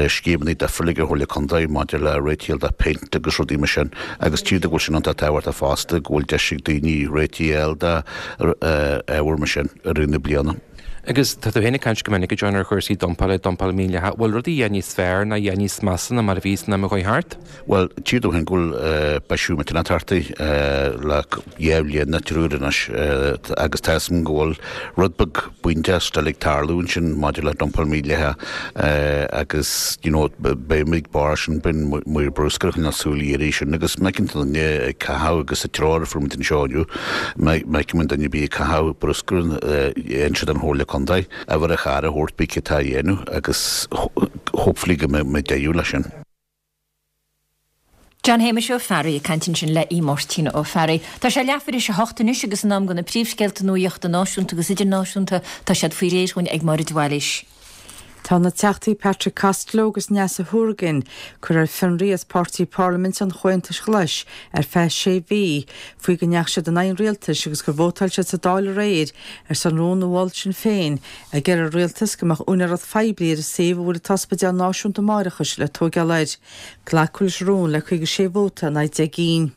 scéimeanna difriúla ag an Chomhairle Contae maidir le réitigh de péint agus rudaí mar sin agus tchífead go bhfuil sin iontach tábhachtach fosta go bhfuil deis ag daoine réitigh a fháil d'ábhar mar sin i rith na bliana. Agus tá tú féin ag caint go minic, a John, ar chúrsaí dumpála, dumpáil mhídhleathach. Bhfuil rudaí a dhath níos fearr ná a dhath níos measa ná mar a bhí san am a chuaigh thart? Bhuel, tchífead tú féin go bhfuil bisiú millteanach tagtha le dhá bhliain nó triúr anois agus tá 'fhios a'm go bhfuil rud beag bainteach still ag tarlú ansin maidir le dumpáil mhídhleathach agus you know beidh muid ag barr sin, beidh maor bruscair ag coinneáil súil uirthi sin agus má fheiceann tú duine ag caitheamh agus sa treoir a fuair muid anseo inniu, má fheiceann muid duine ar bith ag caitheamh bruscair inse don Chomhairle Contae, uimhir an chairr a thabhairt pé cé atá á dhéanamh agus hopefully go mbeidh deireadh leis sin. John Shéamais Ó Fearraigh ag caint ansin le Aodh Máirtín Ó Fearraigh. Tá sé leathuair théis a hocht anois agus in am do na príomhscéalta nuaíochta náisiúnta agus idirnáisiúnta. Tá siad faoi réir dhúinn ag Máire de Bhailís. Tá na Teachtaí Patrick Costello agus Neasa Hourigan curtha ar fionraí as páirtí parlaiminte an Chomhaontais Ghlais ar feadh sé mhí faoi go ndeachaigh siad in aghaidh an rialtais agus gur vótáil siad sa Dáil aréir ar son rún a mhol Sinn Féin ag iarraidh ar an rialtas go mbeadh úinéireacht phoiblí ar an suíomh a bhfuil an t-ospidéal náisiúnta máithreachais le tóigeáil air. Glacadh leis an rún le 56 vóta in aghaidh 10 gcinn.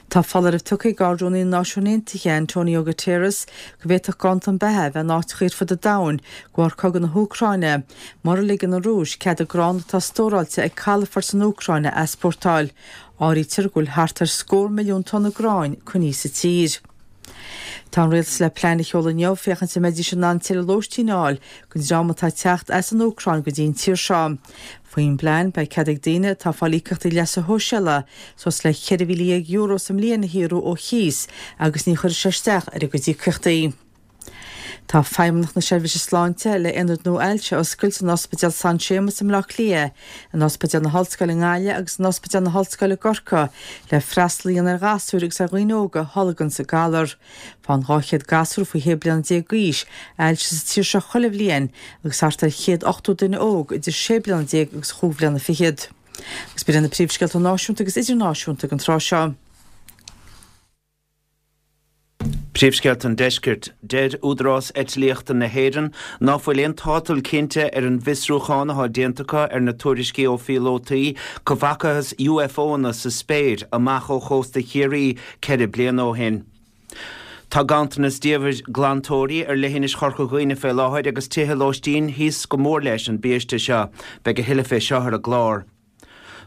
Tá foláireamh tugtha ag Ard-Rúnaí na Náisiún Aontaithe, Antonio Guterres, go bhféadfadh ganntan beatha a bheith in áiteacha ar fud an domhain de bharr cogadh na hÚcráine, mura ligeann an Rúis cead an grán atá stóráilte ag calafort san Úcráin a easpórtáil. Áirítear go bhfuil thart ar scór milliún tonna gráin coinnithe sa tír. Tá an rialtas le plean a sheoladh inniu féachaint an mbeidís in ann tuilleadh lóistín a fháil don dream atá ag teacht as an Úcráin go dtí an tír seo. Faoin bplean, beidh cead ag daoine atá ag fáil íocaíochtaí leasa shóisialaigh suas le €14,000 sa mbliain a shaothrú ó chíos agus ní chuirfidh sé isteach ar a gcuid íocaíochtaí. Tá Feidhmeannacht na Seirbhíse Sláinte le aonad nua ailse a oscailt san Ospidéal San Séamas i mBleá Cliath, in Ospidéal na hOllscoile i nGaillimh agus in Ospidéal na hOllscoile i gCorcaigh le freastal a dhéanamh ar ghasúir agus ar dhaoine óga a tholganns an galar. Faigheann 200 gasúr faoi 16 bliana d'aois ailse sa tír seo chuile bhliain agus thart ar 180 duine óg idir 16 bliana agus chúig bhliana fichead. Agus b'in iad na príomhscéalta náisiúnta agus idirnáisiúnta ag an tráth seo. Príomhscéalta an Deiscirt. Deir Údarás Eitlíochta na hÉireann ná fuil aon tátal cinnte ar an bhfiosrúchán athá déanta acu ar na tuairiscí ó phíolótaí go bhfacathas UFOanna sa spéir amach ó chósta Chiarraí 4 bliana ó shin. Tá ganntanas diamhair glantóirí ar leithinis Chorca Dhuibhne fé láthair agus tithe lóistín thíos go mór leis an biaiste seo. Beidh a thuilleadh fé seo ar an gclár.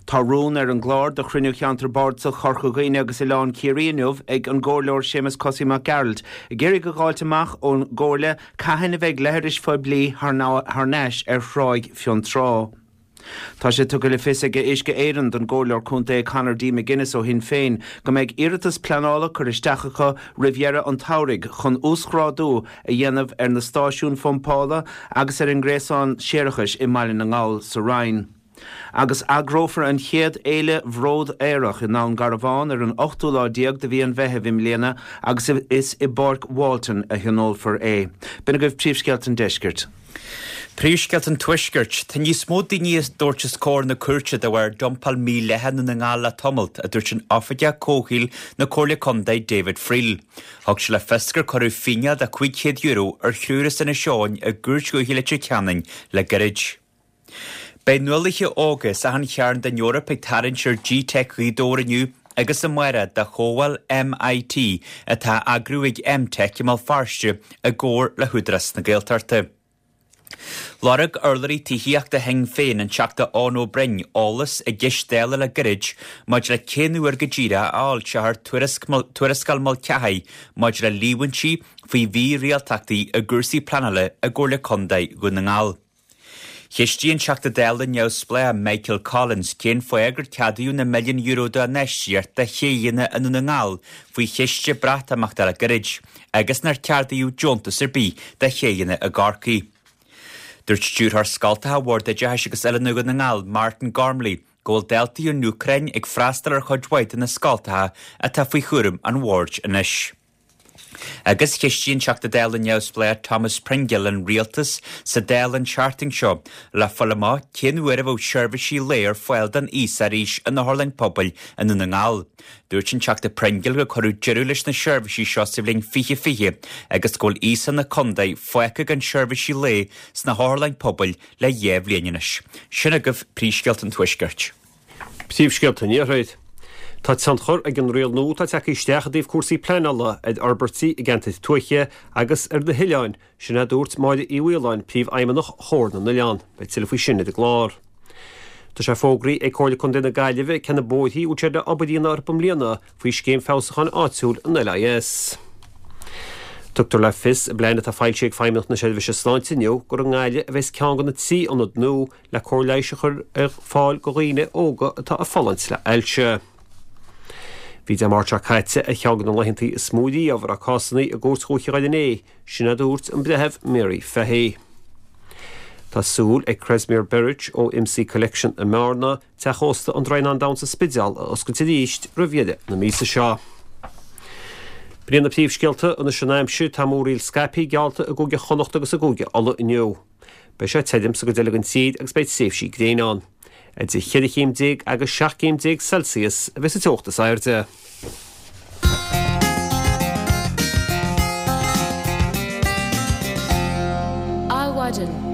Tá rún ar an gclár do chruinniú Cheantar Bardasach Chorca Dhuibhne agus Oileán Ciarraí inniu ag an gComhairleoir Séamus Cosaí Mac Gearailt ag iarraidh a dh'fháilt amach ón gComhairle cathain a bheidh leithris phoiblí thar n-ais ar Thráigh Fionntrá. Tá sé tugtha le fios ag Uisce Éireann don gComhairleoir Contae Conor D McGuinness ó Shinn Féin go mbeidh iarratas pleanála curtha isteach acu roimh dheireadh an tsamhraidh chun uasghrádú a dhéanamh ar na stáisiúin phumpála agus ar an ngréasán séarachais i mBaile na nGall sa Rinn. Agus eagrófar an chéad Fhéile Bhród Aerach i nDún Garbhán ar an ochtú lá déag de mhí an Mheithimh i mbliana agus is i bPáirc Walton a thionólfar é. B'in agaibh príomhscéalta an deiscirt. Príomhscéalta an Tuaiscirt. Tá níos mó daoine a dtabhairt os comhair na cúirte de bharr dumpáil mhídhleathach i nDún na nGall le tamalt, a dúirt an Oifigeach Comhshaoil na Comhairle Contae David Friel. Thug sé le fios gur cuireadh fíneáil de €500 ar thriúr as Inis Eoghain i gCúirt Dhúiche Leitir Ceanainn le gairid. Beidh nuálaithe óga as achan chearn den Eoraip ag tarraingt ar G-Teic Ghaoth Dobhair inniu agus amárach do Chomhdháil MIT atá á eagrú ag M-Tech i mBéal Feirste i gcomhar le hÚdarás na Gaeltachta. Lorg urlabhraí tithíochta Shinn Féin, an Teachta Eoin Ó Broin, eolas i gceist Dála le gairid maidir le cén uair go díreach a fhoilseofar Tuarascáil Mulcahy maidir le líomhaintí faoi mhírialtachtaí i gcúrsaí pleanála i gComhairle Contae Dhún na nGall. Cheistigh an Teachta Dála neamhspleách Michael Collins cén fáth gur ceadaíodh na milliúin euro d'infheistíocht do chéidheanna i nDún na nGall faoi chiste Breatimeachta le gairid agus nár ceadaíodh deontas ar bith do chéidheanna i gCorcaigh. Dúirt Stiúrthóir Scoltacha Bhord Oideachais agus Oiliúna Dhún na nGall, Martin Gormley, go bhfuil daltaí ón Úcráin ag freastal ar chuid mhaith de na scoltacha atá faoi chúram an bhoird anois. Agus cheistigh an Teachta Dála neamhspleách Thomas Pringle an Rialtas sa Dáil an tseachtain seo le fáil amach cén uair a bheadh seirbhísí lae ar fáil don aosach arís in otharlann pobail i nDún na nGall. Dúirt an Teachta Pringle gur cuireadh deireadh leis na seirbhísí seo sa bhliain 2020 agus go bhfuil aosach na contae fágtha gan seirbhísí lae sna hotharlanna pobail le 2 bhliain anois. Sin agaibh príomhscéalta an Tuaiscirt. Príomhscéalta an Iarthair. Tá tionchar ag an riail nua atá tagtha isteach i dtaobh cúrsaí pleanála ar fhorbairtí i gceantair tuaithe agus ar na hoileáin, sin a dúirt Máire Uí Mhaoláin, Príomhfheidhmeannach Chomhar na nOileán. Beidh tuilleadh faoi sin ar an gclár. Tá sé fógraithe ag Comhairle Contae na Gaillimhe cé na bóithrí a bhfuil siad le obair a dhéanamh orthu i mbliana faoi Scéim Feabhsúcháin Áitiúil an LIS. Tugtar le fios i bplean atá foilsithe ag Feidhmeannacht na Seirbhíse Sláinte inniu gur i nGaillimh a bheas ceann de na 3 ionad nua le cóir leighis a chur ar fáil do dhaoine óga atá ag fulaingt le hailse. Bhí Dé Máirt seo caite ar cheann de na laethantaí is mó riamh a raibh cásanna i gCúirt Dhúiche Dhoire Fhinné, sin a dúirt an Breitheamh Mary Fahy. Tá súil ag Kresimir Beric ó MC Collection i mBearna, Teach Ósta an Draighneáin Donn sa Spidéal a oscailt arís roimh dheireadh na míosa seo. B'in iad na príomhscéalta anois an aimsir, tá múraíl scaipthe geallta i gCúige Chonnacht agus i gCúige Uladh inniu. Beidh sé tirim sa gcuid eile den tír agus beidh tréimhsí gréine ann. Idir cheithre chéim déag agus 17 gcéim Celsius a bheas an teocht is airde. Adhmhaidin.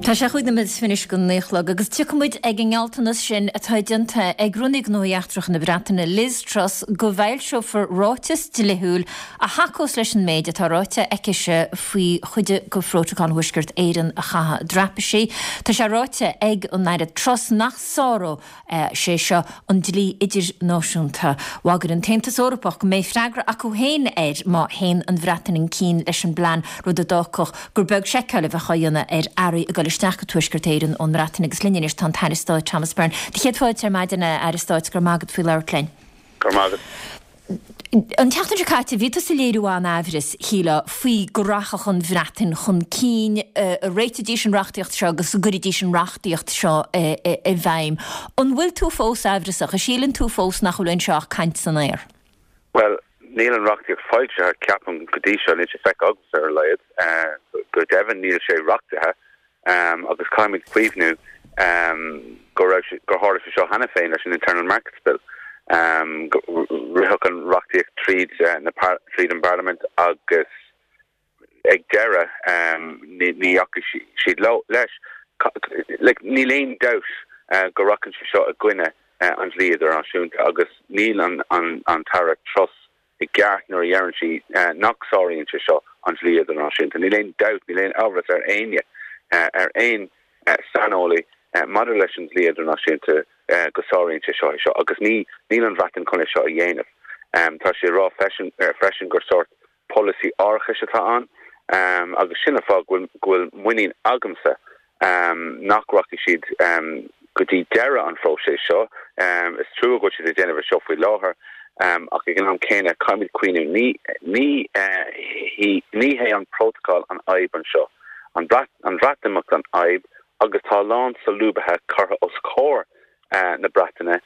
Tá sé chúig nóiméad is fiche anois go naoi a chlog agus tiocfaidh muid ag an ngealltanas sin atá déanta ag Rúnaí Gnóthaí Eachtracha na Breataine, Liz Truss, go bhfoilseofar ráiteas dlíthiúil a thacós leis an méid atá ráite aicise faoi chuid de Phrótacal Thuaisceart Éireann a chaitheamh i dtraipisí. Tá sé ráite ag an Aire Truss nach sáródh sé seo an dlí idirnáisiúnta. Bhagair an tAontas Eorpach go mbeidh freagra acu féin air má théann an Bhreatain chun cinn leis an bplean, rud a d'fhágfadh gur beag seiceáil a bheadh á dhéanamh ar earraí ag dul isteach go Tuaisceart Éireann ón mBreatain. Agus linn anois tá an tAire Stáit Thomas Byrne. Do chéad fáilte ar maidin, a Aire Stáit, go raibh maith agat faoi labhairt linn. Go raibh maith agat. An tseachtain seo caite, bhí tusa ag léiriú an-aimhreas, shílfeá, faoi go rachadh an Bhreatain chun cinn, a réiteoidís an reachtaíocht seo agus go gcuirfidís an reachtaíocht seo i bhfeidhm. An bhfuil tú fós aimhreasach? An síleann tú fós nach bhfuil anseo ach caint san aer? Bhuel, níl an reachtaíocht foilsithe, ceapaim, go dtí seo, níl sé feicthe agamsa ar a laghad. Go deimhin, níl sé reachtaithe. Agus caithfimid cuimhniú go raibh sé, gur tharla sé seo cheana féin leis an Internal Markets Bill. Ritheadh an reachtaíocht tríd na, tríd an bParlaimint agus ag deireadh ní dheachaigh siad leo, leis. Like, níl aon dabht go rachann sé seo i gcoinne an dlí idirnáisiúnta agus níl an, an, an tAire Truss i gceart nuair a dheireann sí nach sáraíonn sé seo an dlí idirnáisiúnta. Níl aon dabht, níl aon amhras ar éinne, ar aon saineolaí maidir leis an dlí idirnáisiúnta go sáraíonn sé seo é seo agus ní, níl an Bhreatain chun é seo a dhéanamh. Tá sí ag rá freisin gur sórt polasaí árachais atá ann agus sin an fáth go bhfuil muinín agamsa nach rachaidh siad go dtí deireadh an phróiseas seo. Is trua go bhfuil siad ag déanamh é seo faoi láthair ach ag an am céanna caithfimid cuimhniú ní ní hé an prótacal an fhadhb anseo, an Bhreatimeacht an fhadhb agus tá a lán solúbtha curtha os comhair na Breataine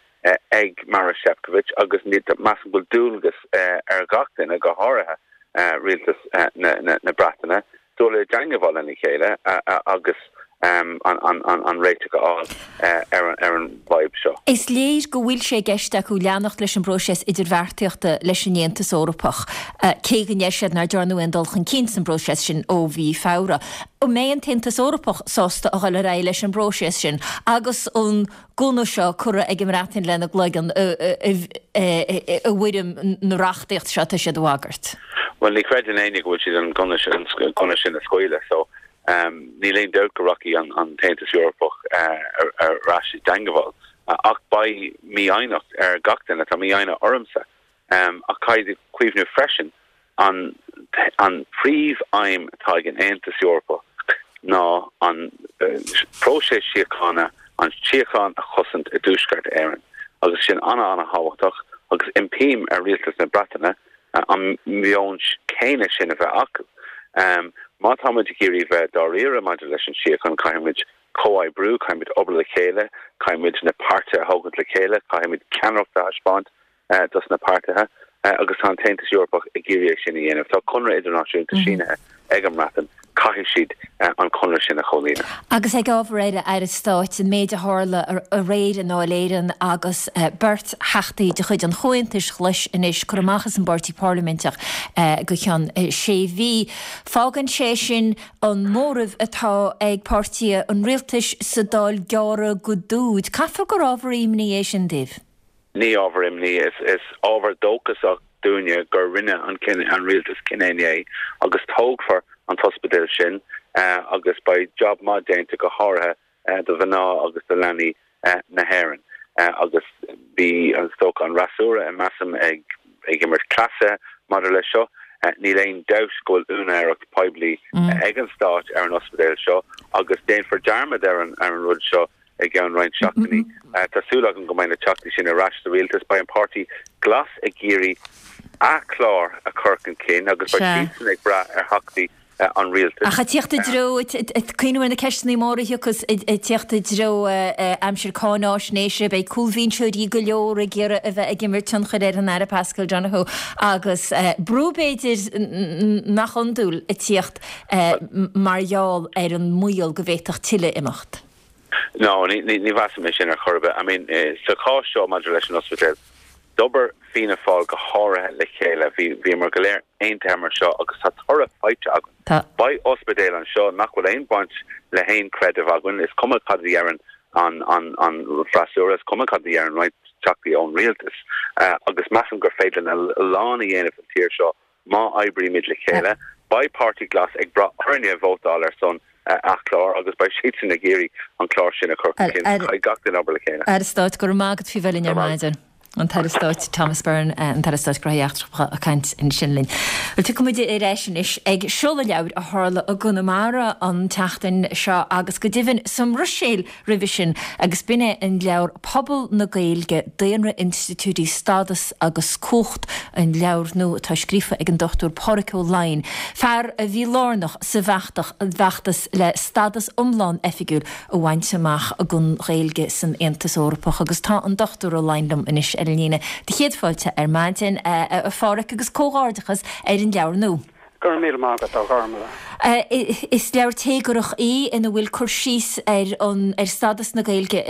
ag Maroš Šefčovič agus measaim go bhfuil dualgas ar gach duine, go háirithe rialtas na Breataine, dul i dteangabháil lena chéile agus an réiteach a fháil ar an bhfadhb seo. Is léir go bhfuil sé i gceist acu leanacht leis an bpróiseas idirbheartaíochta leis an Aontas Eorpach, cé go ndeir siad nár dearnadh aon dul chun cinn san bpróiseas sin ó mhí Feabhra. An mbeidh an tAontas Eorpach sásta a dhul ar aghaidh leis an bpróiseas sin agus an gunna seo curtha ag an mBreatain lena gcloigeann i bhfoirm na reachtaíocht seo atá siad a bhagairt. Bhuel, ní chreideann éinne go bhfuil siad an gunna sin a scaoileadh so níl aon dabht go rachaidh an tAontas Eorpach ar ais i dteangabháil. Ach beidh mífhoighneacht ar gach duine, tá mífhoighne ormsa. Ach caithfidh cuimhniú freisin An an phríomh-aidhm atá ag an Aontas Eorpach ná an próiseas síochána, an tsíocháin a chosaint i dTuaisceart Éireann agus sin ana-ana-thábhachtach agus impím ar Rialtas na Breataine an meon céanna sin a bheith acu. Má tá muid ag iarraidh bheith dáiríre maidir leis an síocháin caithfidh muid comhoibriú, caithfidh muid obair le chéile, caithfidh muid na páirtithe a thógaint le chéile, caithfidh muid ceannaireacht a thaispeáint dos na páirtithe. Agus tá an tAontas Eorpach ag iarraidh é sin a dhéanamh. Tá conradh idirnáisiúnta sínithe ag an mBreatain, caithfidh siad an conradh sin a chomhlíonadh. Agus ag ábhar eile, Aire Stáit, an méid a tharla aréir i nDáil Éireann agus beirt Theachtaí de chuid an Chomhaontais Ghlais anois curtha amach as an bpáirtí parlaiminteach go ceann sé mhí. Fágann sé sin an móramh atá ag páirtithe an rialtais sa Dáil gearrtha go dúid. Caithfear gur ábhar imní é sin daoibh? Ní ábhar imní, is ábhar dóchasach dúinne gur rinne an an rialtas cinneadh inné agus tógfar an t-ospidéal sin agus beidh jab maith déanta go háirithe do mhná agus do leanaí na hÉireann. Agus bhí, is dócha, an fhreasúra, measaim, ag imirt cleasa maidir leis seo. Níl aon dabht go bhfuil úinéireacht poiblí ag an Stát ar an ospidéal seo agus déanfar dearmad ar an rud seo i gceann roinnt seachtainí. Tá súil agam go mbeidh na teachtaí sin ar ais sa rialtas. Beidh an Páirtí Glas ag iarraidh a chlár a chur chun cinn agus beidh siadsan ag brath ar theachtaí an rialtais. Ach ag tíocht i dtreo, ag cuimhniú ar na ceisteanna móra a thiocfas ag tíocht i dtreo aimsir cáináisnéise, beidh cúlbhinseoirí go leor ag iarraidh a bheith ag imirt tionchair ar an Aire Paschal Donohoe agus brú b'fhéidir nach iondúil ag tíocht mar gheall ar an mbaol go bhféadfadh tuilleadh imeacht. No, ní mheasaim é sin ar chor ar bith. I mean, sa chás seo maidir leis an ospidéal, d'obair Fianna Fáil go háirithe le chéile. Bhí, bhíomar go léir aontaithe mar seo agus tá toradh faighte againn. Tá. Beidh ospidéal anseo nach bhfuil aon bhaint le haon chreideamh againn. Is cuma cad a dheireann an, an, an freasúra, is cuma cad a dheireann roinnt teachtaí ón rialtas. Agus measaim gur féidir linn a lán a dhéanamh sa tír seo Má oibrímid le chéile, beidh Páirtí Glas ag brath orainne vótáil ar son a chlár agus beidh siadsan ag iarraidh an clár sin a chur chun cinn. Caithfidh gach duine obair le chéile. Aire Stáit, go raibh maith agat faoi bheith linn ar maidin. An tAire Stáit Thomas Byrne, an tAire Stáit Gnóthaí Eachtracha ag caint ansin linn. Bhuel, tiocfaidh muid ar ais anois ag seoladh leabhair a tharla i gConamara an tseachtain seo agus go deimhin sa mBruiséil roimhe sin agus b'in é an leabhar Pobal na Gaeilge, Daonra, Institiúidí, Stádas agus Cumhacht, an leabhar nua atá scríofa ag an Dr Pádhraic Ó Laighin, fear a bhí lárnach sa bhfeachtas le stádas iomlán oifigiúil a bhaint amach don Ghaeilge san Aontas Eorpach agus tá an Dr Ó Laighin liom anois ar an líne. Do chéad fáilte ar maidin, a Phádhraic, agus comhghairdeachas ar an leabhar nua. Go raibh míle maith agat, a Ghormlaith. Is leabhar téagarthach í ina bhfuil cur síos ar an ar stádas na Gaeilge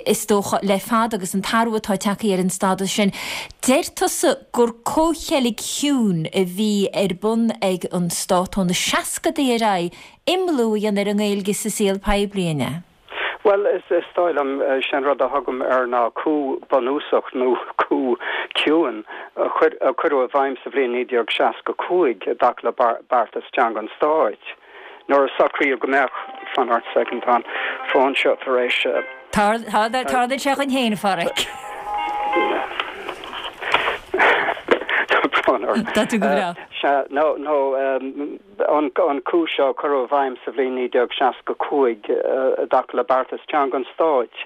is dócha le fada agus an t-athrú atá tagtha ar an stádas sin. Deir tusa gur comhcheilg chiúin a bhí ar bun ag an stát ó na seascadaí ar aghaidh imeallú a dhéanamh ar an nGaeilge sa saol poiblí, an ea? Bhuel, is dóigh liom, sé an rud a thugaim air ná coup bunúsach nó coup ciúin a cuireadh i bhfeidhm sa bhliain 1965 i dtaca le beartas teanga an stáit, nuair a socraíodh go mbeadh, fan ort soicind, tá an fón seo tar éis. Tarlaíonn sé dhúinn féin, a Phádhraic. Tá brón orm. Tá tú go breá. Sea, nó, nó. An coup seo a cuireadh i bhfeidhm sa bhliain 1965 i dtaca le beartas teanga an stáit,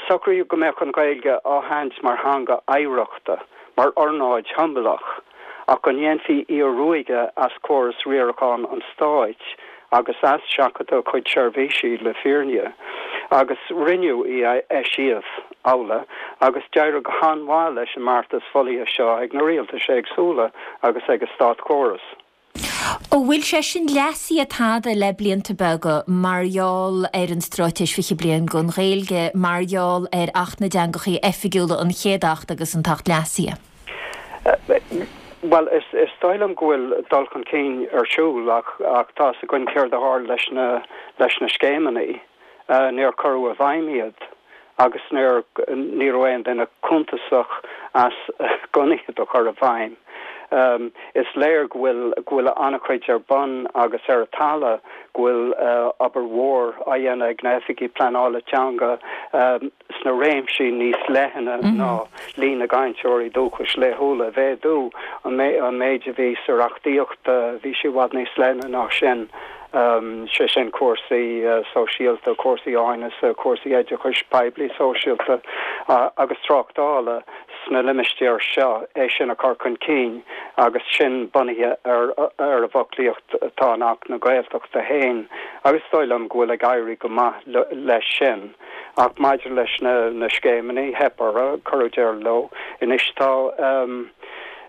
socraíodh go mbeadh an Ghaeilge á haithint mar theanga oidhreachta, mar ornáid shiombalach, ach go ndéanfaí í a ruaigeadh as córas riaracháin an stáit agus as seachadadh a cuid seirbhísí, le fírinne. Agus rinneadh í a eisiamh amhlaidh, agus d'éirigh go han-mhaith leis an mbeartas folaithe seo ag na rialtais éagsúla agus ag an státchóras. An bhfuil sé sin leasaithe tada le blianta beaga mar gheall ar an Straitéis 20 Bliain don Ghaeilge, mar gheall ar Acht na dTeangachaí Oifigiúla, an chéad Acht agus an tAcht leasaithe? Bhuel, is dóigh liom go bhfuil dul chun cinn ar siúl ach tá 'fhios againn céard a tharla leis na leis na scéimeanna. Níor cuireadh i bhfeidhm iad agus níor ní raibh aon duine cuntasach as gan iad a chur i bhfeidhm. Is léir go bhfuil go bhfuil an-chuid ar bun agus ar an talamh, go bhfuil obair mhór á dhéanamh ag na hoifigigh pleanála teanga sna réimsí níos leithne ná líon na gcainteoirí dúchais laethúla a mhéadú. An méid a bhí sa reachtaíocht, bhí sé i bhfad níos leithne ná sin. sé sin cúrsaí sóisialta, cúrsaí áineasa, cúrsaí oideachais poiblí sóisialta agus tráchtála sna limistéir seo, é sin a chur chun cinn agus sin bunaithe ar ar an bhfoclaíocht atá in Acht na Gaeltachta féin agus is dóigh liom go bhfuil ag éirí go maith leis sin. Ach maidir leis na na scéimeanna, theip orthu, cuireadh deireadh leo. Anois tá.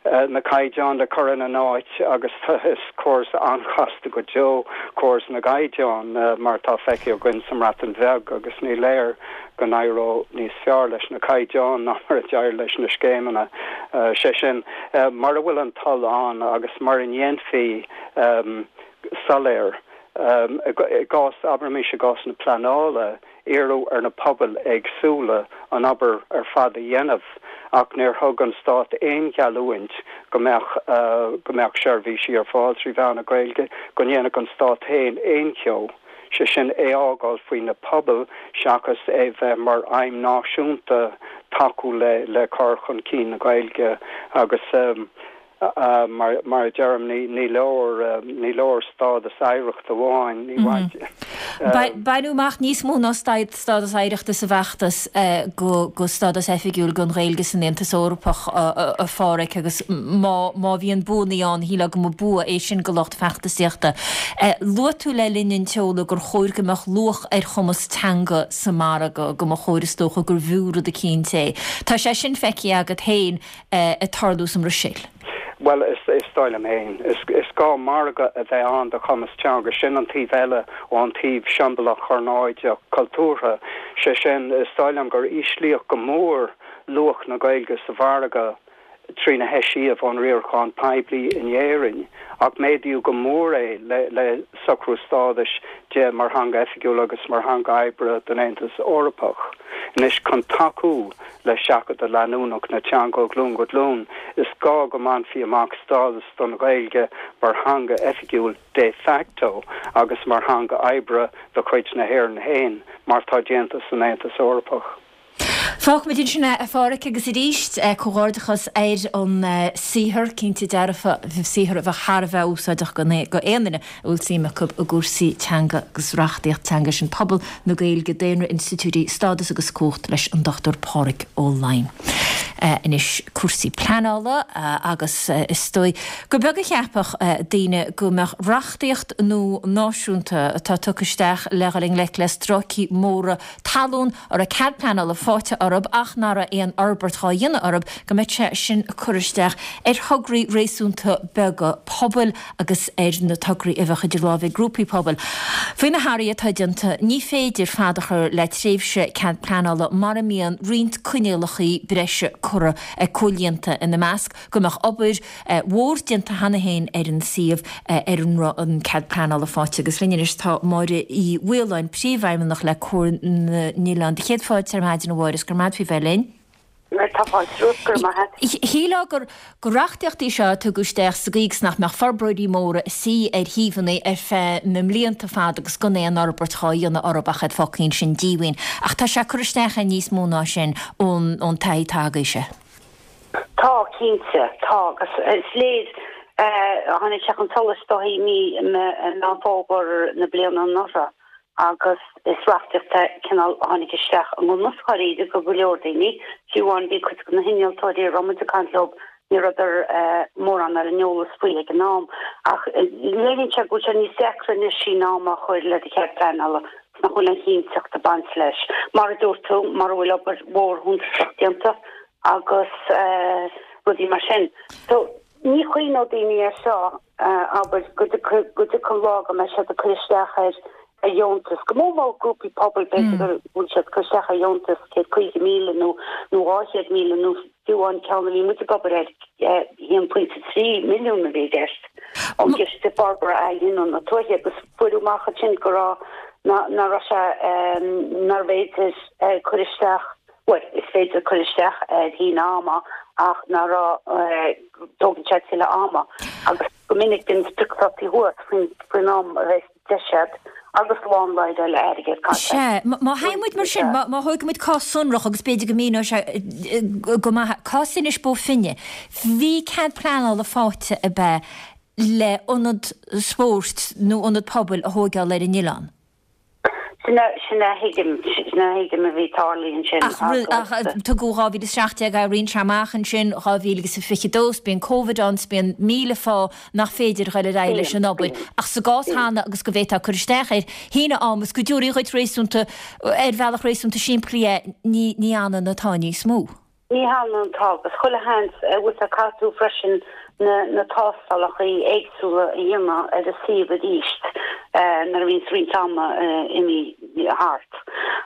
na caighdeáin le cur ina n-áit agus is córas an-chasta go deo córas na gcaighdeán mar atá feicthe againn sa mBreatain Bheag agus ní léir go n-éireodh níos fearr leis na caighdeáin ná mar a d'éirigh leis na scéimeanna. Sé sin, mura bhfuil an toil ann agus mura ndéanfaí soiléir i gcás, abraimis i gcás na pleanála, Iarradh ar na pobail éagsúla an obair ar fad a dhéanamh ach níor thug an Stát aon gheallúint go mbeadh go mbeadh seirbhísí ar fáil trí mheán na Gaeilge, go ndéanfadh an Stát féin aon cheo, sé sin é a fhágáil faoi na pobail seachas é bheith mar aidhm náisiúnta tacú le le cur chun cinn na Gaeilge agus. Mar a deirim, ní leor, ní leor stádas oidhreachta amháin, ní mhaith. Baineadh amach níos mó ná stádas oidhreachta sa bhfeachtas go stádas oifigiúil don Ghaeilge san Aontas Eorpach, a Pháraic, agus má bhíonn buanna ann, shílfeá go mba bua é sin go lucht feachtasaíochta. Luaigh tú le linn an tseoladh gur chóir go mbeadh luach ar chumas teanga sa margadh, go mba chóir is dócha gurbh fhiú rud eicínt é. Tá sé sin feicthe agat féin. ag tarlú sa mBruiséil? Bhuel, is dóigh liom féin, is gá margadh a bheith ann do chumas teanga. Sin an taobh eile ón taobh siombalach ornáideach cultúrtha. Sé sin, is dóigh liom gur íslíodh go mór luach na Gaeilge sa mhargadh trína heisiamh ón riarachán poiblí in Éirinn, ach méadaíodh go mór é le socrú stádais di mar theanga oifigiúil agus mar theanga oibre don Aontas Eorpach. Anois, chun tacú Le seachadadh leanúnach na teanga ó ghlúin go glúin, is gá go mbainfí amach stádas don Ghaeilge mar theanga oifigiúil de facto agus mar theanga oibre de chuid na hÉireann féin, mar atá déanta san Aontas Eorpach. Fágfaimid ansin é, a Pháraic, agus arís, comhghairdeachas ar an saothar, cinnte dearfa, saothar a bheadh thar a bheith úsáideach go aon duine a bhfuil suim acu i gcúrsaí teanga agus reachtaíocht teanga, sin Pobal na Gaeilge, Daonra, Institiúidí, Stádas agus Cumhacht leis an Dr Páraic Ó Laighin. Anois cúrsaí pleanála agus is dóigh gur beag a cheapfadh daoine go mbeadh reachtaíocht nua náisiúnta atá tugtha isteach le dhul i ngleic le stráicí móra talún a raibh cead pleanála faighte orthu ach nach raibh aon fhorbairt dhá dhéanamh orthu, go mbeadh sé sin ag cur isteach ar thograí réasúnta beaga pobail agus ar na tograí a bheadh idir lámha ag grúpaí pobail. Faoi na hathruithe atá déanta, ní féidir fad a chur le tréimhse cead pleanála mura mbíonn roinnt coinníollacha breise curtha comhlíonta, ina measc go mbeadh obair mhór déanta cheana féin ar an suíomh ar a raibh an cead pleanála faighte. Agus linn anois tá Máire Uí Mhaoláin, Príomhfheidhmeannach le Comhar na nOileán. Do chéad fáilte ar maidin a Mháire, is go raibh maith agat faoi bheith linn. Tá fáilte romhat, go raibh maith agat. Shílfeá gur gur reachtaíocht í seo a tugadh isteach sa gcaoi is nach mbeadh forbróirí móra ag suí ar shuíomhanna ar feadh na mblianta fada agus gan aon fhorbairt dhá dhéanamh orthu ach iad fágtha ansin díomhaoin. Ach tá sé ag cur isteach ar níos mó ná sin ón taithí atá agaibhse. Tá, cinnte, tá agus is léir, tháinig sé chun solais dóigh i mí Meán Fómhair na bliana anuraidh agus is reachtaíocht é cineál a tháinig isteach i ngan fhios dháiríre go go leor daoine, fiú amháin bhí cuid de na hinnealtóirí a raibh muid ag caint leo, ní rabhadar mórán ar an eolas faoi ag an am. Ach léiríonn sé go bhfuil sé níos deacra anois síneadh ama a chur le do chead pleanála 's nach bhfuil an chinnteacht ag baint leis. Mar a dúirt tú, mura bhfuil obair mhór shuntasach déanta agus rudaí mar sin. So, ní chuimhneodh daoine air seo, abair, go dtiocfaidh lá go mbeidh siad ag cur isteach ar dheontas, go mór mór grúpaí pobail, b'fhéidir go bhfuil siad ag cur isteach ar dheontas 150,000 nó nó 200,000 nó fiú an ceann a bhí muid ag obair air, 1.3 milliún a bhí i gceist ón gCiste Forbartha Athghiniúna na Tuaithe agus fuaireadh amach ansin go raibh, nach raibh sé, nárbh fhéidir cur isteach Bhuel, is féidir cur isteach ar shíneadh ama ach ná raibh, tógann sé tuilleadh ama agus go minic bíonn spriocdhátaí thuas faoin am a bheas deis agat agus lán leibhéal airgid caite. Sea, má théann muid mar sin, má thógann muid cás sonrach agus b'fhéidir go míneoidh sé go maith, cás Inis Bó Finne, bhí cead pleanála faighte ab ea le ionad spóirt nó ionad pobail a thóigeáil ar an oileán? Sin a, sin a thuigim, sin a thuigim a bhí tarlaithe ansin Ach, ach tugadh 2017 éiríonn sé amach ansin, 2022, 's bíonn Covid ann, 's bíonn 1000 fáth nach féidir dhul ar aghaidh leis an obair. Ach sa gcás cheana agus go bhféadfá cur isteach ar shíneadh ama is go dtabharfaí dhuit réasúnta, ar bhealach réasúnta simplí é, ní, ní ionann atá níos mó. Ní hionann tá agus chuile sheans bhfuil sé caithfidh tú freisin na na tástálacha éagsúla a dhéanamh ar an suíomh arís nuair a bhíonns roinnt ama imithe thart.